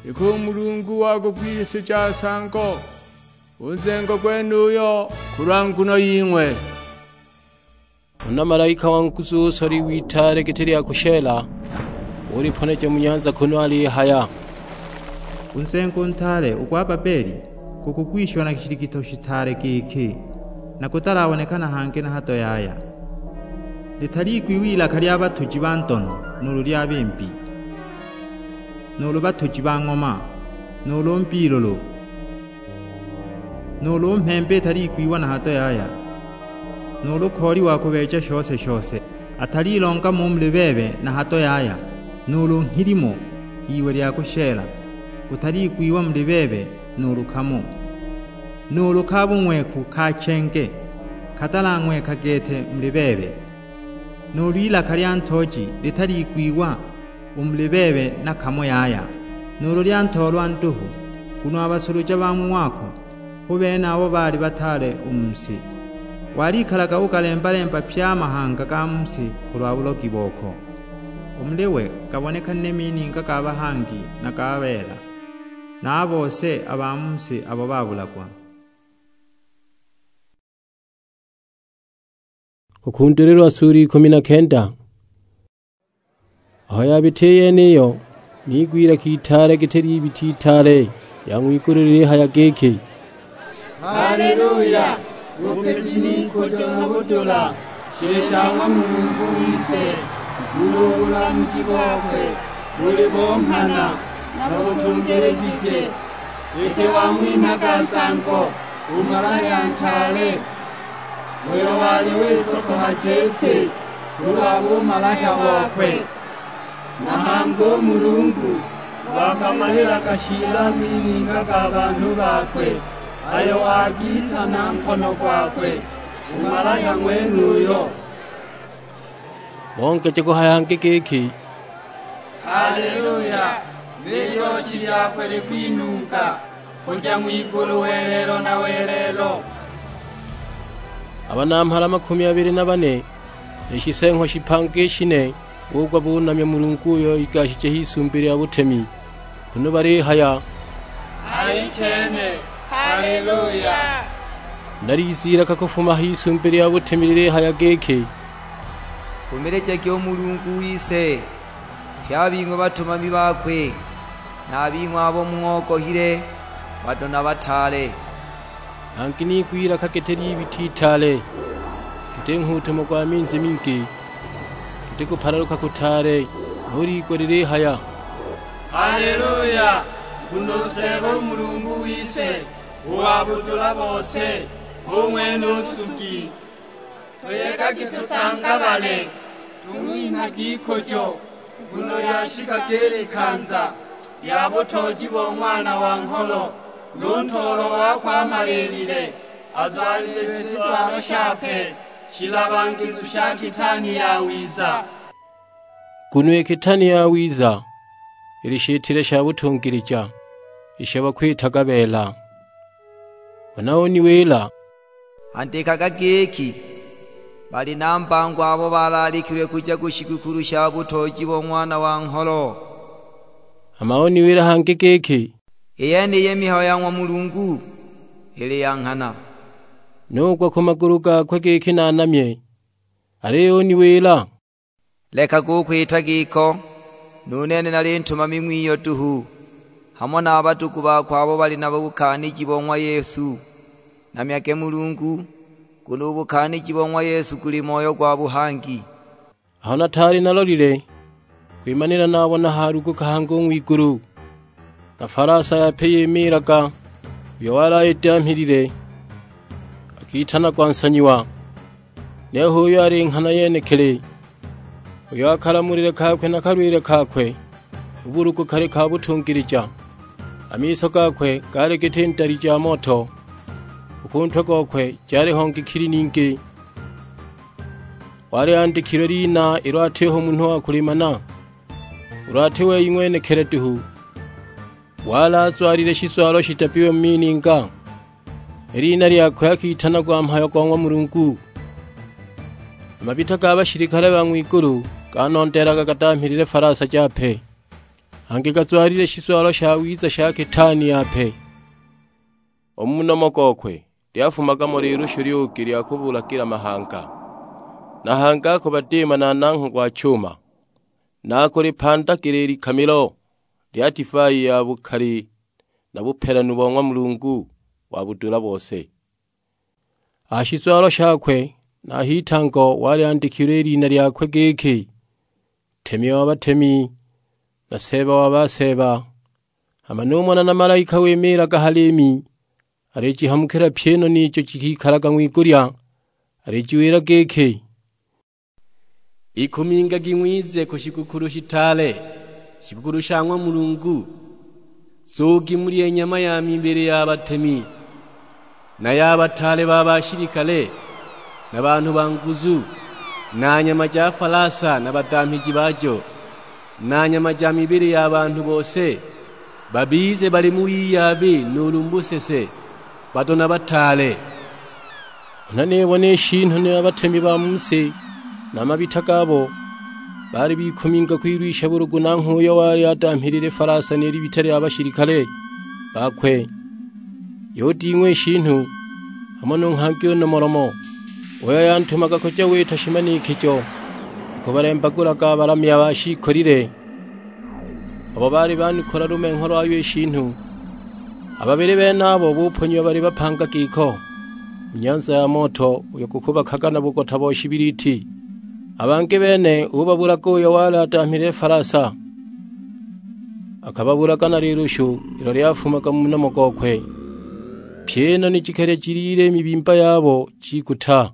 iki u Mulungu wagugwisija nsango u nzengo gwenuyo kulwa nguno ying'we!" Huna malaika wa nguzu usola iwe itaale giti lya kusheela, uliponeja mu nyanza kunu alihaya, "U nzengo ntaale u gwa Babeli gukugwishiwa na shiligito shitaale giki, na gutalaboneka na hangi na hado yaya. Litaligwiwa ilaka lya batuji ba ndono nuulu lya bimbi, nuulu batuji ba ng'oma, nuulu mbilulu, nuulu mhemba italigwiwa na hado yaya, nuulu kooli wa kubeeja shose-shose atalilongama u muli bebe na hado yaya, nuulu nghilimo iwe lya kusheela gutaligwiwa muli bebe nuulu kamo, nuulu ka bung'weku ka chenge katalang'weka gete muli bebe, nuulu ilaka lya ntooji litaligwiwa u muli bebe na kamo yaya, nuulu lya ntoolwa nduhu, nguno a basuluja ba mu wako hu bene abo baali bataale u mu si. Walikalaga ugalemba-lemba pye a mahanga ga mu si kulwa bulogi boko. U muli we gabonekanile mininga ga bahangi na ga beela, na a bose a ba mu si abo babulagwa." Kukundulilwa sura ikumi na kenda. Aho yabita i yeniyo, niigwa ilaka itaale giti ly'ibita itaale lya ng'wigulu lilihaya giki, "Haleluya! Bupiji n'ikujo na budula shili sha ng'wa Mulungu wise, nguno u bulamuji bokwe buli bo nghana na butungiligije. Iki wang'winhaga nsango u malaya ntaale, uyo wali wisosohaja i si kulwa bumalaya bokwe. Na hangi u Mulungu wakamalilaga shiila mininga ga banhu bakwe, ayo wagita na nkono gwakwe u malaya ng'wenuyo." Bongeja kuhaya hangi giki, "Haleluya! Ni lyochi lyakwe likwinunga kuja ng'wigulu welelo na welelo." A banamhala makumi abili na bane, ni shiseeng'wa shipanga i shine, bugwa bunamya Mulungu uyo igashije h'isumbi lya butemi, kunu balihaya, "Alichene! Haleluya!" Huna liza ilaka kufuma h'isumbi lya butemi lilihaya giki, "Nfumilijagi u Mulungu wise, pye a bing'we batumami bakwe, na a bing'we abo mung'ogohile, bado na bataale." Hangi niigwa ilaka giti ly'ibita itaale, giti nghuutumo gwa minzi mingi, giti kupalaluka kutaale, nu liigwa lilihaya, "Haleluya! Nguno u Seeba u Mulungu wise, u wa budula bose, hu ng'wene u nsugi. Tuyegagi tusangabale, tung'winhagi ikujo, nguno lyashikaga i likanza lya butooji bo Ng'wana wa Ngholo, nu ntoolo wakwe amaliilile. Azwalile shizwalo shape shilabangizu sha kitani yawiza. Nguno i kitani yawiza ili shitile sha butungilija, isho bakwitaga beela. Huna uniwila, "Andikaga giki, 'Bali na mbango abo balaalikilwe kuja ku shigukulu sha butooji bo Ng'wana wa Ngholo.'" Hama uniwila hangi giki, "I yeniyi mihayo ya ng'wa Mulungu, ili ya nghana." Nugwa ku magulu gakwe giki nanamye, aliyo uniwila, "Lekaga u kwita giko, nu nene nali ntumami ng'wiyo duhu, hamo na a badugu bakwe abo bali na bukaaniji bo ng'wa Yesu. Namyage Mulungu, nguno u bukaaniji bo ng'wa Yesu guli moyo gwa buhangi." Aho nataali nalolile, kwimanila nabona haluguka hangi u ng'wigulu, na falasa yape yimiilaga, uyo wali ayidamhilile akitanagwa Nsanyiwa. Niho uyo ali nghana yenekili, uyo a kalamulile kakwe na kalwile kakwe, u bulugu kali ka butungilija. A miso gakwe gaali giti ndali ja moto, u ku ntwe gokwe jaliho ngikili ningi. Wali andikilwe lina ilo atiho munhu wa kulimana, ulu ati wei ng'wenekili duhu. Wali azwalile shizwalo shidabbiwe mu mininga, i lina lyakwe akitanagwa Mhayo go ng'wa Mulungu. A mabita ga bashilikale ba ng'wigulu ganondeelaga gadamhilile falasa jape, hangi gazwalile shizwalo shawiza sha kitaani yape. U mu nomo gokwe lyafumaga mo lilushu lyugi lya kubulagila mahanga, na hangi akubadiima na nangho gwa chuma, na akulipandagila i likamilo lya divai ya bukali na bupelanu bo ng'wa Mulungu wa budula bose. A ha shizwalo shakwe na a h'itango wali andikilwe i lina lyakwe giki, Ntemi wa batemi, na Seeba wa baseeba. Hama numona na malaika wimiilaga ha liimi, alijihamukila pyi i noni ijo jikikalaga ng'wigulya, alijiwila giki, "Ikumingagi ng'wize ku shigukulu shitaale, shigukulu sha ng'wa Mulungu, zugi mulye nyama ya mibili ya batemi, na ya bataale ba bashilikale, na banhu ba nguzu, na nyama ja falasa na badamhiji bajo, na nyama ja mibili ya banhu bose, babize bali mu wiyabi nuulu mu busese, bado na bataale." Huna nibona i shiinu, ni a batemi ba mu si na a mabita gabo, baali bikuminga kwilwisha bulugu nanghwe uyo wali adamhilile falasa ni libita lya bashilikale bakwe. Yuding'wa i shiinu, hamo nu nghangi u nomolomo, uyo yantumaga kuja wita shimanikijo, kubalembagulaga a balamya ba shiikolile, abo baali banukula lumengho lwayo i shiinu. A babili benabo buponyiwa bali bapanga giko mu nyanza ya moto uyo gukubakaga na bugota bo shibiliti. A bangi bene ubabulaga uyo wali adamhilile falasa, akababulaga na lilushu ilo lyafumaga mu nomo gokwe. Pyi i noni jikalya jiliile i mibimba yabo jiguta.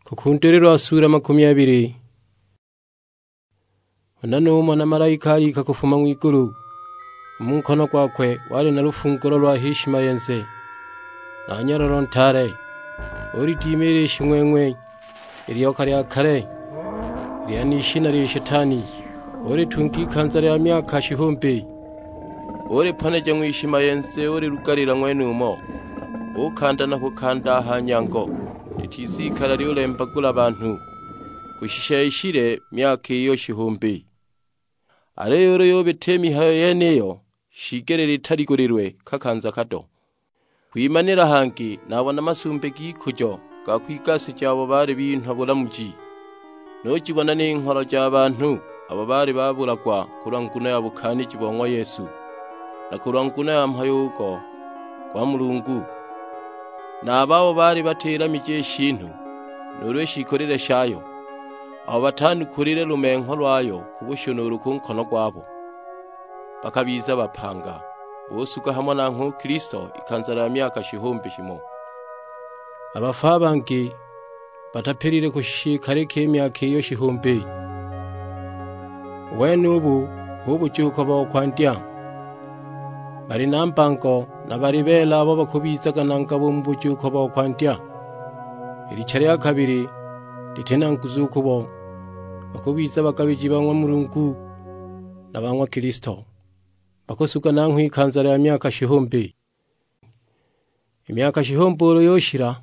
Kukundulilwa sura makumi abili. Huna numona malaika alika kufuma ng'wigulu, u mu nkono gwakwe wali na lufungulo lwa h'ishimayenze, na nyololo ntaale. Ulidimila i shing'weng'we, i lyoka lya kale, lya n'ishina lya Shetani, ulitunga ikanza lya myaka shihumbi. Uliponeja ng'wishimayenze ulilugalila ng'wenumo, ukanda na kukanda a ha nyango, litizikala lyulembagula banhu, kushisha ishile myaka iyo shihumbi. Aliyo ulu yubita i mihayo yeniyo, shiigelile italigulilwe kakanza kado. Kwimanila hangi nabona masumbi g'ikujo ga kwigasija abo baali binhwa bulamuji. Nujibona ni ngholo ja banhu abo baali babulagwa kulwa nguno ya bukaaniji bo ng'wa Yesu, na kulwa nguno ya mhayo ugo gwa Mulungu, na a babo baali batilamije i shiinu, nuulu i shiikolile shayo, abo batanukulile lumengho lwayo ku bushu nuulu ku nkono gwabo. Bakabiza bapanga, busuga hamo nanghwe u Kilisto ikanza lya myaka shihumbi shimo. A bafu a bangi batapilile kushisha ikalika i myaka iyo shihumbi. U wenubu hu bujuuko bo kwandya. bali na mbango, na bali beela abo bakubizaga na ngabo u mu bujuuko bo kwandya. I licha lya kabili liti na nguzu u kubo, bakubiza bagabiji ba ng'wa Mulungu na ba ng'wa Kilisto, bakusuga nanghwe ikanza lya myaka shihumbi. I myaka shihumbi ulu yushila,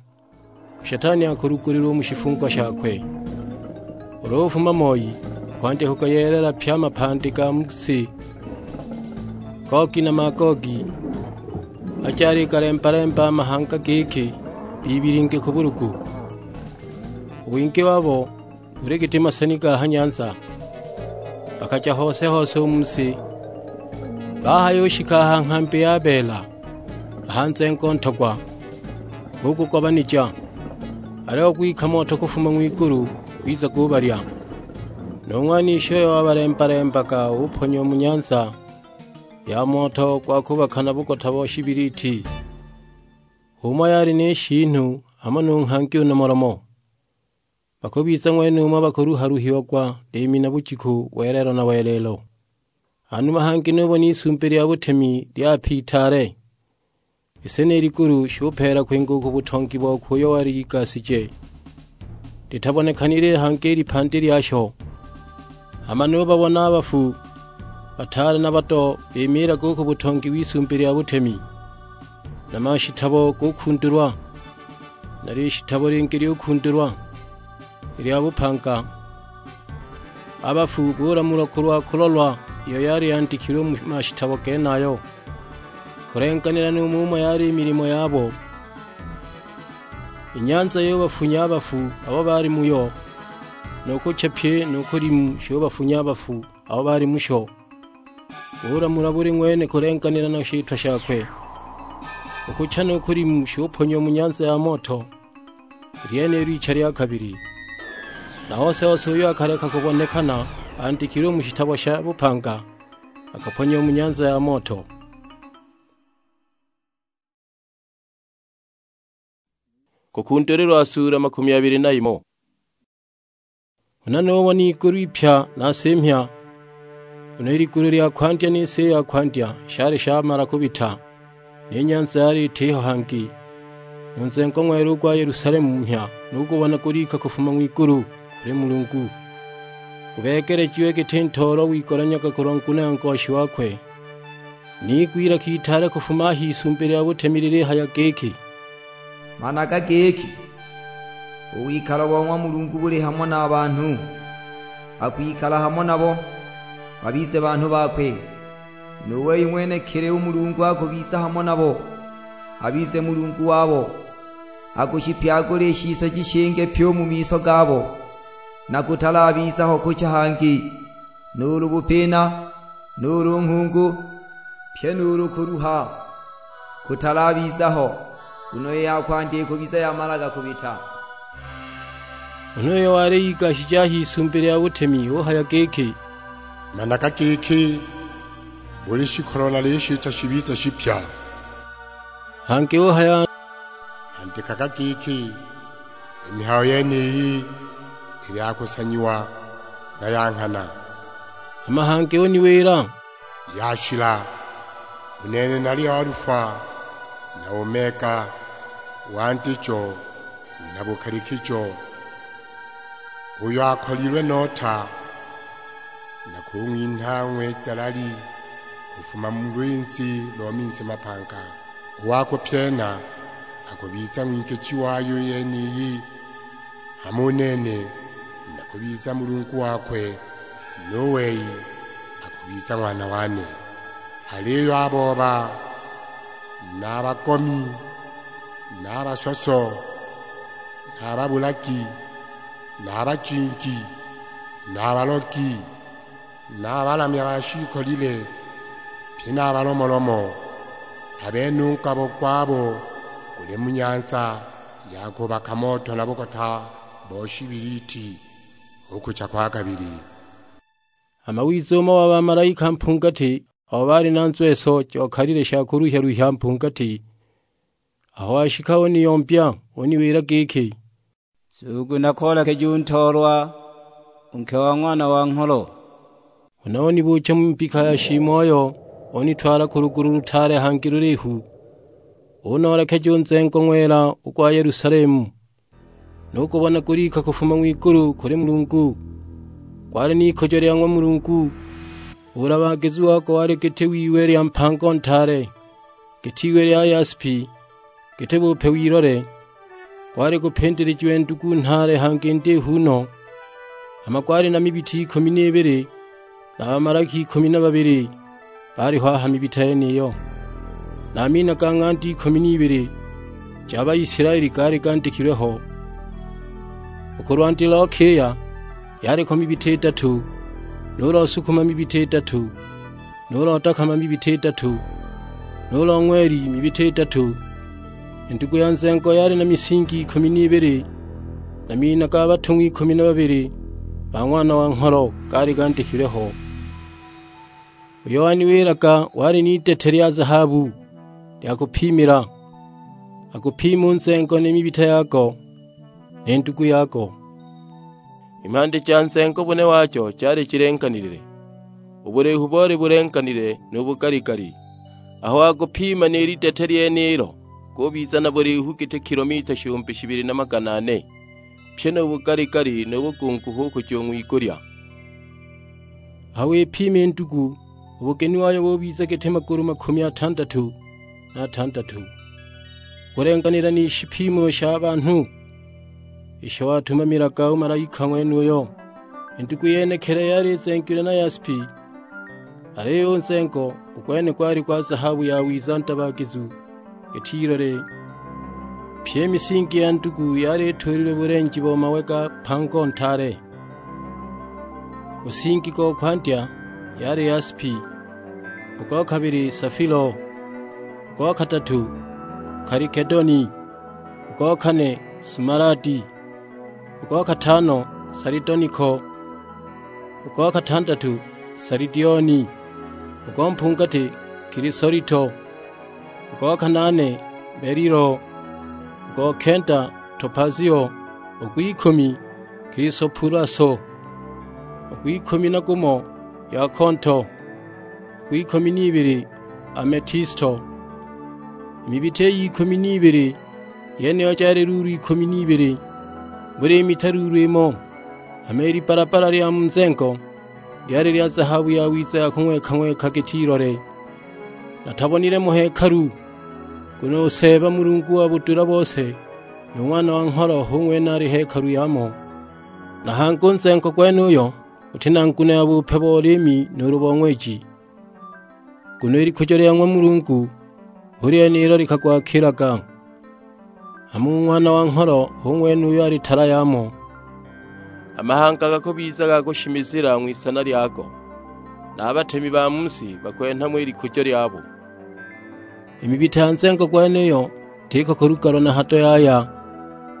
u Shetani akulugulilwa u mu shifungo shakwe. Ulu ufuma moi, kwandya kugayeelela pye a mapandi ga mu si, Gogi na Magogi, aja aligalemba-lemba a mahanga giki bibilinge ku bulugu. U wingi wabo buli giti maseni ga ha nyanza, bakaja hose-hose u mu si. Bahayushika a ha nghambi ya beela, a ha nzengo ntogwa, bugugobanija, aliyo gwika moto kufuma ng'wigulu gwiza gubalya. Nu ng'wanishi uyo wabalemba-lembaga uponya u mu nyanza ya moto gwa kubaka na bugota bo shibiliti, h'umo yali ni shiinu hamo nu nghangi u nomolomo. Bakubiza ng'wenumo bakuluha-luhiagwa liimi na bujiku, welelo na welelo. Hanuma hangi nubona isumbi lya butemi lyapitaale, i si ni ligulu shupeela kwinga u ku butongi bokwe uyo wali igasije, litabonekanile hangi i lipandi lyasho. Hama nubabona a bafu, bataale na bado, bimiilaga u ku butongi w'isumbi lya butemi, na mashitabo gukundulwa, na lishitabo lingi lyukundulwa, i lya bupanga. A bafu bulamulwa kulwa kulolwa iyo yali yandikilwe mu mashitabo genayo, kulenganila nu mumo yali i milimo yabo. I nyanza yubafunya a bafu abo baali muyo, nu kucha pye nu kulimu shubafunya a bafu abo baali musho. Bulamula buli ng'wene kulenganila na shitwa shakwe. U kucha nu kulimu shuponyiwa mu nyanza ya moto, i lyenilo icha lya kabili. Na ose-ose uyo akaleka kubonekana andikilwe u mu shitabo sha bupanga, akaponyiwa mu nyanza ya moto. Kukundulilwa sura makumi abili na imo. Huna nubona igulu ipya na si mhya, nguno i ligulu lya kwandya ni si ya kwandya shali shamala kubita, ni nyanza yali itiho hangi. Nu nzengo ng'wela u gwa Yelusalemu mhya nugubona gulika kufuma ng'wigulu kuli Mulungu, gubeegelejiwe giti ntoolwa wigolanyaga kulwa nguno ya ngoshi wakwe. Niigwa ilaka itaale kufuma a h'isumbi lya butemi lilihaya giki, "Managa giki, u wikalo bo ng'wa Mulungu buli hamo na banhu, akwikala hamo nabo, babize banhu bakwe. Nu wei ng'wenekili u Mulungu akubiza hamo nabo, abize Mulungu wabo. Akushipyagula i shisoji shinge pyi u mu miso gabo, na kutalabiza ho kucha hangi, nuulu bupina, nuulu nghungu, pyi nuulu kuluha, kutalabiza ho, nguno i ya kwandya ikubiza yamalaga kubita." Huna uyo wali igashije a h'isumbi lya butemi uhaya giki, "Managa giki, buli shikolo nalishita shibize shipya." Hangi uhaya, "Andikaga giki, i mihayo yeniyi ili ya kusanyiwa na ya nghana." Hama hangi uniwila, "Yashila! U nene nali Alufa na Omega, wandijo na bukalikijo. Uyo akolilwe nota, nakung'winha ng'we dalali kufuma mu lwinzi lo minzi mapanga. U wa kupyena akubiza ng'wingiji wayo i yeniyi, hama u nene nakubiza Mulungu wakwe, nu wei akubiza ng'wana wane. Aliyo a booba, na a bagomi, na a basoso, na a babulagi, na a bajingi, na a balogi, na a balamya ba shiikolile, pye na a balomolomo, a bene u ngabo gwabo guli mu nyanza ya kubaka moto na bugota bo shibiliti, u kucha kwa kabili." Hama wiza umo wa bamalaika mpungati abo baali na nzweso jokalile sha kuluhya-luhya mpungati, aho washika uniyombya, uniwila giki, "Nzugu nakoolekeje u ntoolwa, u nke wa Ng'wana wa Ngholo." Huna unibuucha mu mbika ya shiimoyo, unitwala ku lugulu lutaale hangi lulihu, unoolekeja u nzengo ng'wela u gwa Yelusalemu. Nugubona gulika kufuma ng'wigulu kuli Mulungu, gwali n'ikujo lya ng'wa Mulungu. U bulabaagizu wago wali giti w'iwe lya mpango ntaale, giti iwe lya yaspi, giti bupe w'ilole. Gwali gupindilijiwe ndugu nhaale hangi ndihu no, hama gwali na mibita ikumi n'ibili, na bamalaki ikumi na babili baaliho a ha mibita yeniyo. Na a mina ga ng'anda ikumi n'ibili ja Baisilaeli gaali gandikilwe ho. U ku lwandi lo kiya yaliko mibita idatu, nu lo sukuma mibita idatu, nu lo dakama mibita idatu, nu lo ng'weli mibita idatu. I ndugu ya nzengo yali na misingi ikumi n'ibili, na mina ga batung'wa ikumi na babili ba Ng'wana wa Ngholo gaali gandikilwe ho. Uyo waniwilaga wali n'idete lya zahabu lya kupimila, akupima u nzengo ni mibita yago, ni ndugu yago. I mhandi ja nzengo bune wajo jali jilenganile, u bulihu boli bulenganile nu bugaligali. Aho wagupima ni lidete lyenilo, gubiza na bulihu giti kilomita shihumbi shibili na magana ane, pyi nu bugaligali nu bugungu hu kuja u ng'wigulya. Aho wipima i ndugu, u bugeni wayo bubiza giti magulu makumi atandatu na atandatu, gulenganila ni shipimo sha banhu isho watumamilaga u malaika ng'wenuyo. I ndugu yenekili yali izengilwe na yaspi, aliyo u nzengo u gwene gwali gwa zahabu yawiza ndabaagizu giti ilole. Pyi i misingi ya ndugu yali ituulilwe bulenji bo mawe ga mpango ntaale. U nsingi go kwandya yali yaspi, u go kabili safilo, u go kadatu kalikedoni, u go kane sumaladi, u go katano salidoniko, u go katandatu salidioni, u go mpungati kilisolito, u go kanaane belilo, u go kenda topazio, u gw'ikumi kilisopulaso, u gw'ikumi na gumo yakonto, u gw'ikumi n'ibili ametisto. I mibita iyi ikumi n'ibili yeniyo jali luulu ikumi n'ibili, buli mita luulu imo. Hama i libalabala lya mu nzengo lyali lya zahabu yawiza ya kung'weka-ng'weka giti ilole. Natabonile mo hekalu, nguno u Seeba Mulungu wa budula bose, nu Ng'wana wa Ngholo hu ng'wene ali hekalu yamo. Na hangi u nzengo gwenuyo guti na nguno ya bupe bo liimi nuulu bo ng'weji, nguno i likujo lya ng'wa Mulungu hu lyenilo likagwakilaga. Hama u Ng'wana wa Ngholo hu ng'wene uyo ali tala yamo. A mahanga gakubiza ga kushimizila ng'wisana lyago, na a batemi ba mu si bakwenha mo i likujo lyabo. I mibita ya nzengo gwenuyo tiko kulugalwa na hado yaya,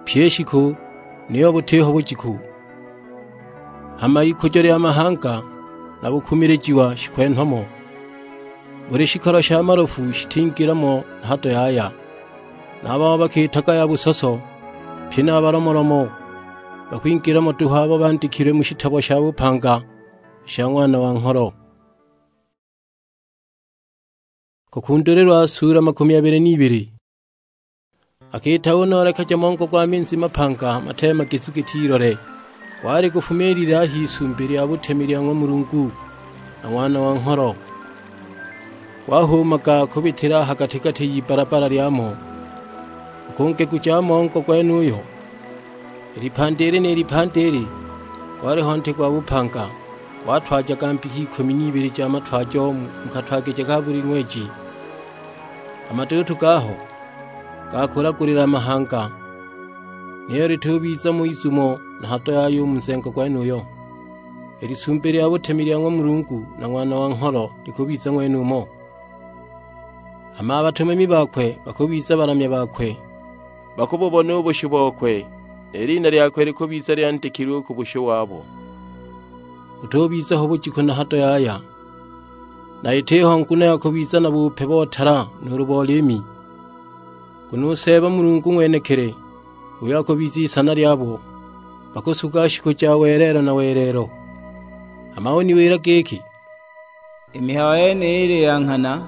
pyi i shiku niyo butiho bujiku. Hama ikujo lya mahanga na bukumilijiwa shikwenhwa mo, buli shikolo sha malofu shitingila mo na hado yaya. Na a babo bakiitaga ya busoso, pyi na a balomolomo, bakwingila mo duhu abo bandikilwe mu shitabo sha bupanga sha Ng'wana wa Ngholo. Kukundulilwa sula makumi abili n'ibili. Akiita unoolekeja mongo gwa minzi mapanga mateemagizu giti ilole, gwali gufumiilile a h'isumbi lya butemi lya ng'wa Mulungu na Ng'wana wa Ngholo. Gwahuumaga kubitila a ha gati-gati y'ibbala-bbala lyamo. U ku ngegu ja mongo gwenuyo, i lipandi ili ni lipandi ili, gwaliho nti gwa bupanga, gwatwajaga mbika ikumi n'ibili ja matwajo mu katwagije ka buli ng'weji. A maduutu gaho gakulagulila a mahanga, niyo litubiza mo izumo na hado yaya u mu nzengo gwenuyo. I lisumbi lya butemi lya ng'wa Mulungu na Ng'wana wa Ngholo likubiza ng'wenumo. Hama a batumami bakwe bakubiza balamya bakwe, bakububona u bushu bokwe, ni lina lyakwe likubiza lyandikilwe u ku bushu wabo. Butubiza ho bujiku na hado yaya, na itiho nguno ya kubiza na bupe bo tala nuulu bo liimi. Nguno u Seeba Mulungu ng'wenekili, uyo akubiza isana lyabo, bakusuga shiku ja welelo na welelo. Hama uniwila giki, I mihayo yeniyi ili ya nghana,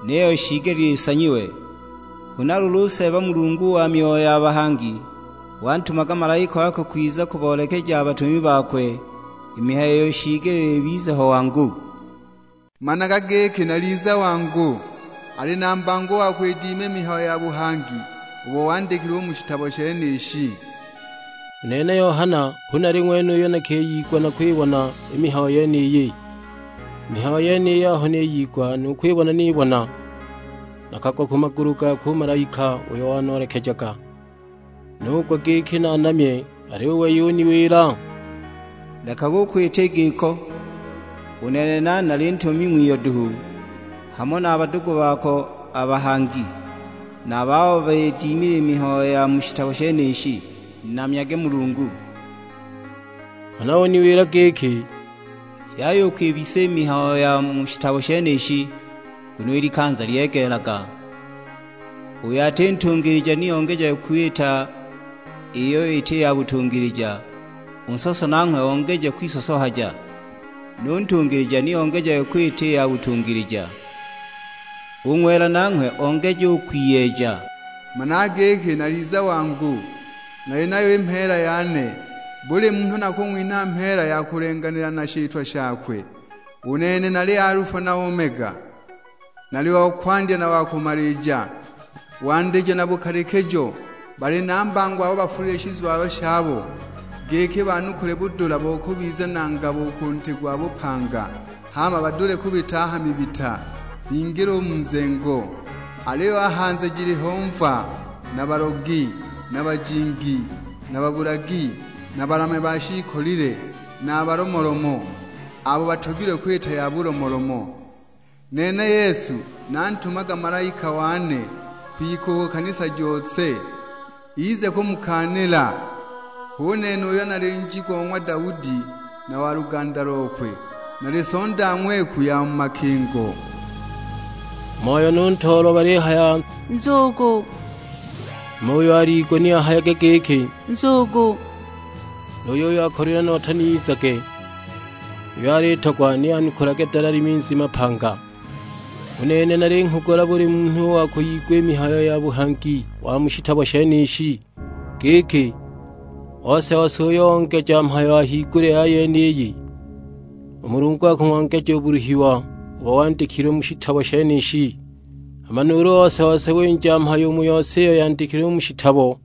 niyo shiigelile isanyiwe. Huna luulu u Seeba Mulungu wa myoyo ya bahangi, wantumaga malaika wakwe kwiza kuboolekeja a batumi bakwe i mihayo iyo shiigelile ibize ho wangu. Managa giki naliza wangu, ali na mbango wa kwidima i mihayo ya buhangi ubo wandikilwe u mu shitabo shenishi. U nene Yohana hu nali ng'wene uyo nakiyigwa na kwibona i mihayo yeniyi. I mihayo yeniyi aho niyigwa nu kwibona nibona, nakagwa ku magulu gakwe u malaika uyo wanoolekejaga. Nugwa giki naanamye, aliyo u wei uniwila, "Lekaga u kwita i giko, u nene nali nali ntuumi ng'wiyo duhu, hamo na a badugu bako a bahangi, na a babo bidimile i mihayo ya mu shitabo shenishi, namyage Mulungu." Huna uniwila giki, "Yaya u kwibisa i mihayo ya mu shitabo shenishi, nguno i likanza lyegeelaga. Uyo ati ntungilija ni ongeja kwita iyo iti ya butungilija, u nsoso nanghwe ongeje kwisosohaja, nu ntungilija ni ongeje kwita i ya butungilija, u ng'wela nanghwe ongeje u kwiyeeja." Managa giki naliza wangu, nali nayo i mheela yane, buli munhu nakung'winha mheela ya kulenganila na shitwa shakwe. U nene nali Alufa na Omega, nali wa kwandya na wa kumalija, wandijo na bukalikijo. Bali na mbango abo bafulile i shizwalo shabo, giki banukule budula bo kubiza na ngabo u ku nti gwa bupanga, hama badule kubita a ha mibita, bingile u mu nzengo. Aliyo a hanze jiliho mva, na balogi, na bajingi, na babulagi, na balamya ba shiikolile, na a balomolomo, abo batogilwe kwita ya bulomolomo. Nene Yesu nantumaga malaika wane kwikuuka kanisa jose, ize kumukaanila. Hu nene uyo nali njigo o ng'wa Daudi na wa luganda lokwe, nali sonda ng'weku ya mu makingo. Moyo nu ntoolwa balihaya, "Nzugu!" Hama uyo aliigwa ni ahayage giki, "Nzugu!" Nu yuyo akolilwe nota ni izage, uyo alitogwa ni anukulage dalali minzi mapanga. U nene nalinghugula buli munhu uyo akuyigwa i mihayo ya buhangi wa mu shitabo shenishi, giki, ose-ose uyo ongeja mhayo a higulya ya yeniyi, u Mulungu akung'ongeja u buluhiwa ubo wandikilwe mu shitabo shenishi. Hama nuulu ose-ose winja mhayo u mu yose iyo yandikilwe mu shitabo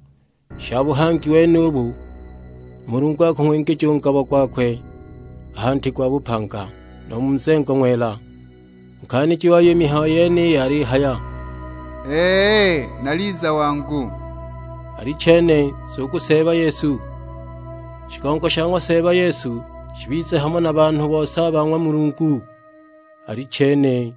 sha buhangi wenubu, u Mulungu akung'wingija u ngabo gwakwe a ha nti gwa bupanga, nu mu nzengo ng'wela." U nkaaniji wayo i mihayo yeniyi alihaya, "Ee, naliza wangu." Alichene, nzugu Seeba Yesu. Shigongo sha ng'wa Seeba Yesu shibize hamo na banhu bose a ba ng'wa Mulungu. Alichene.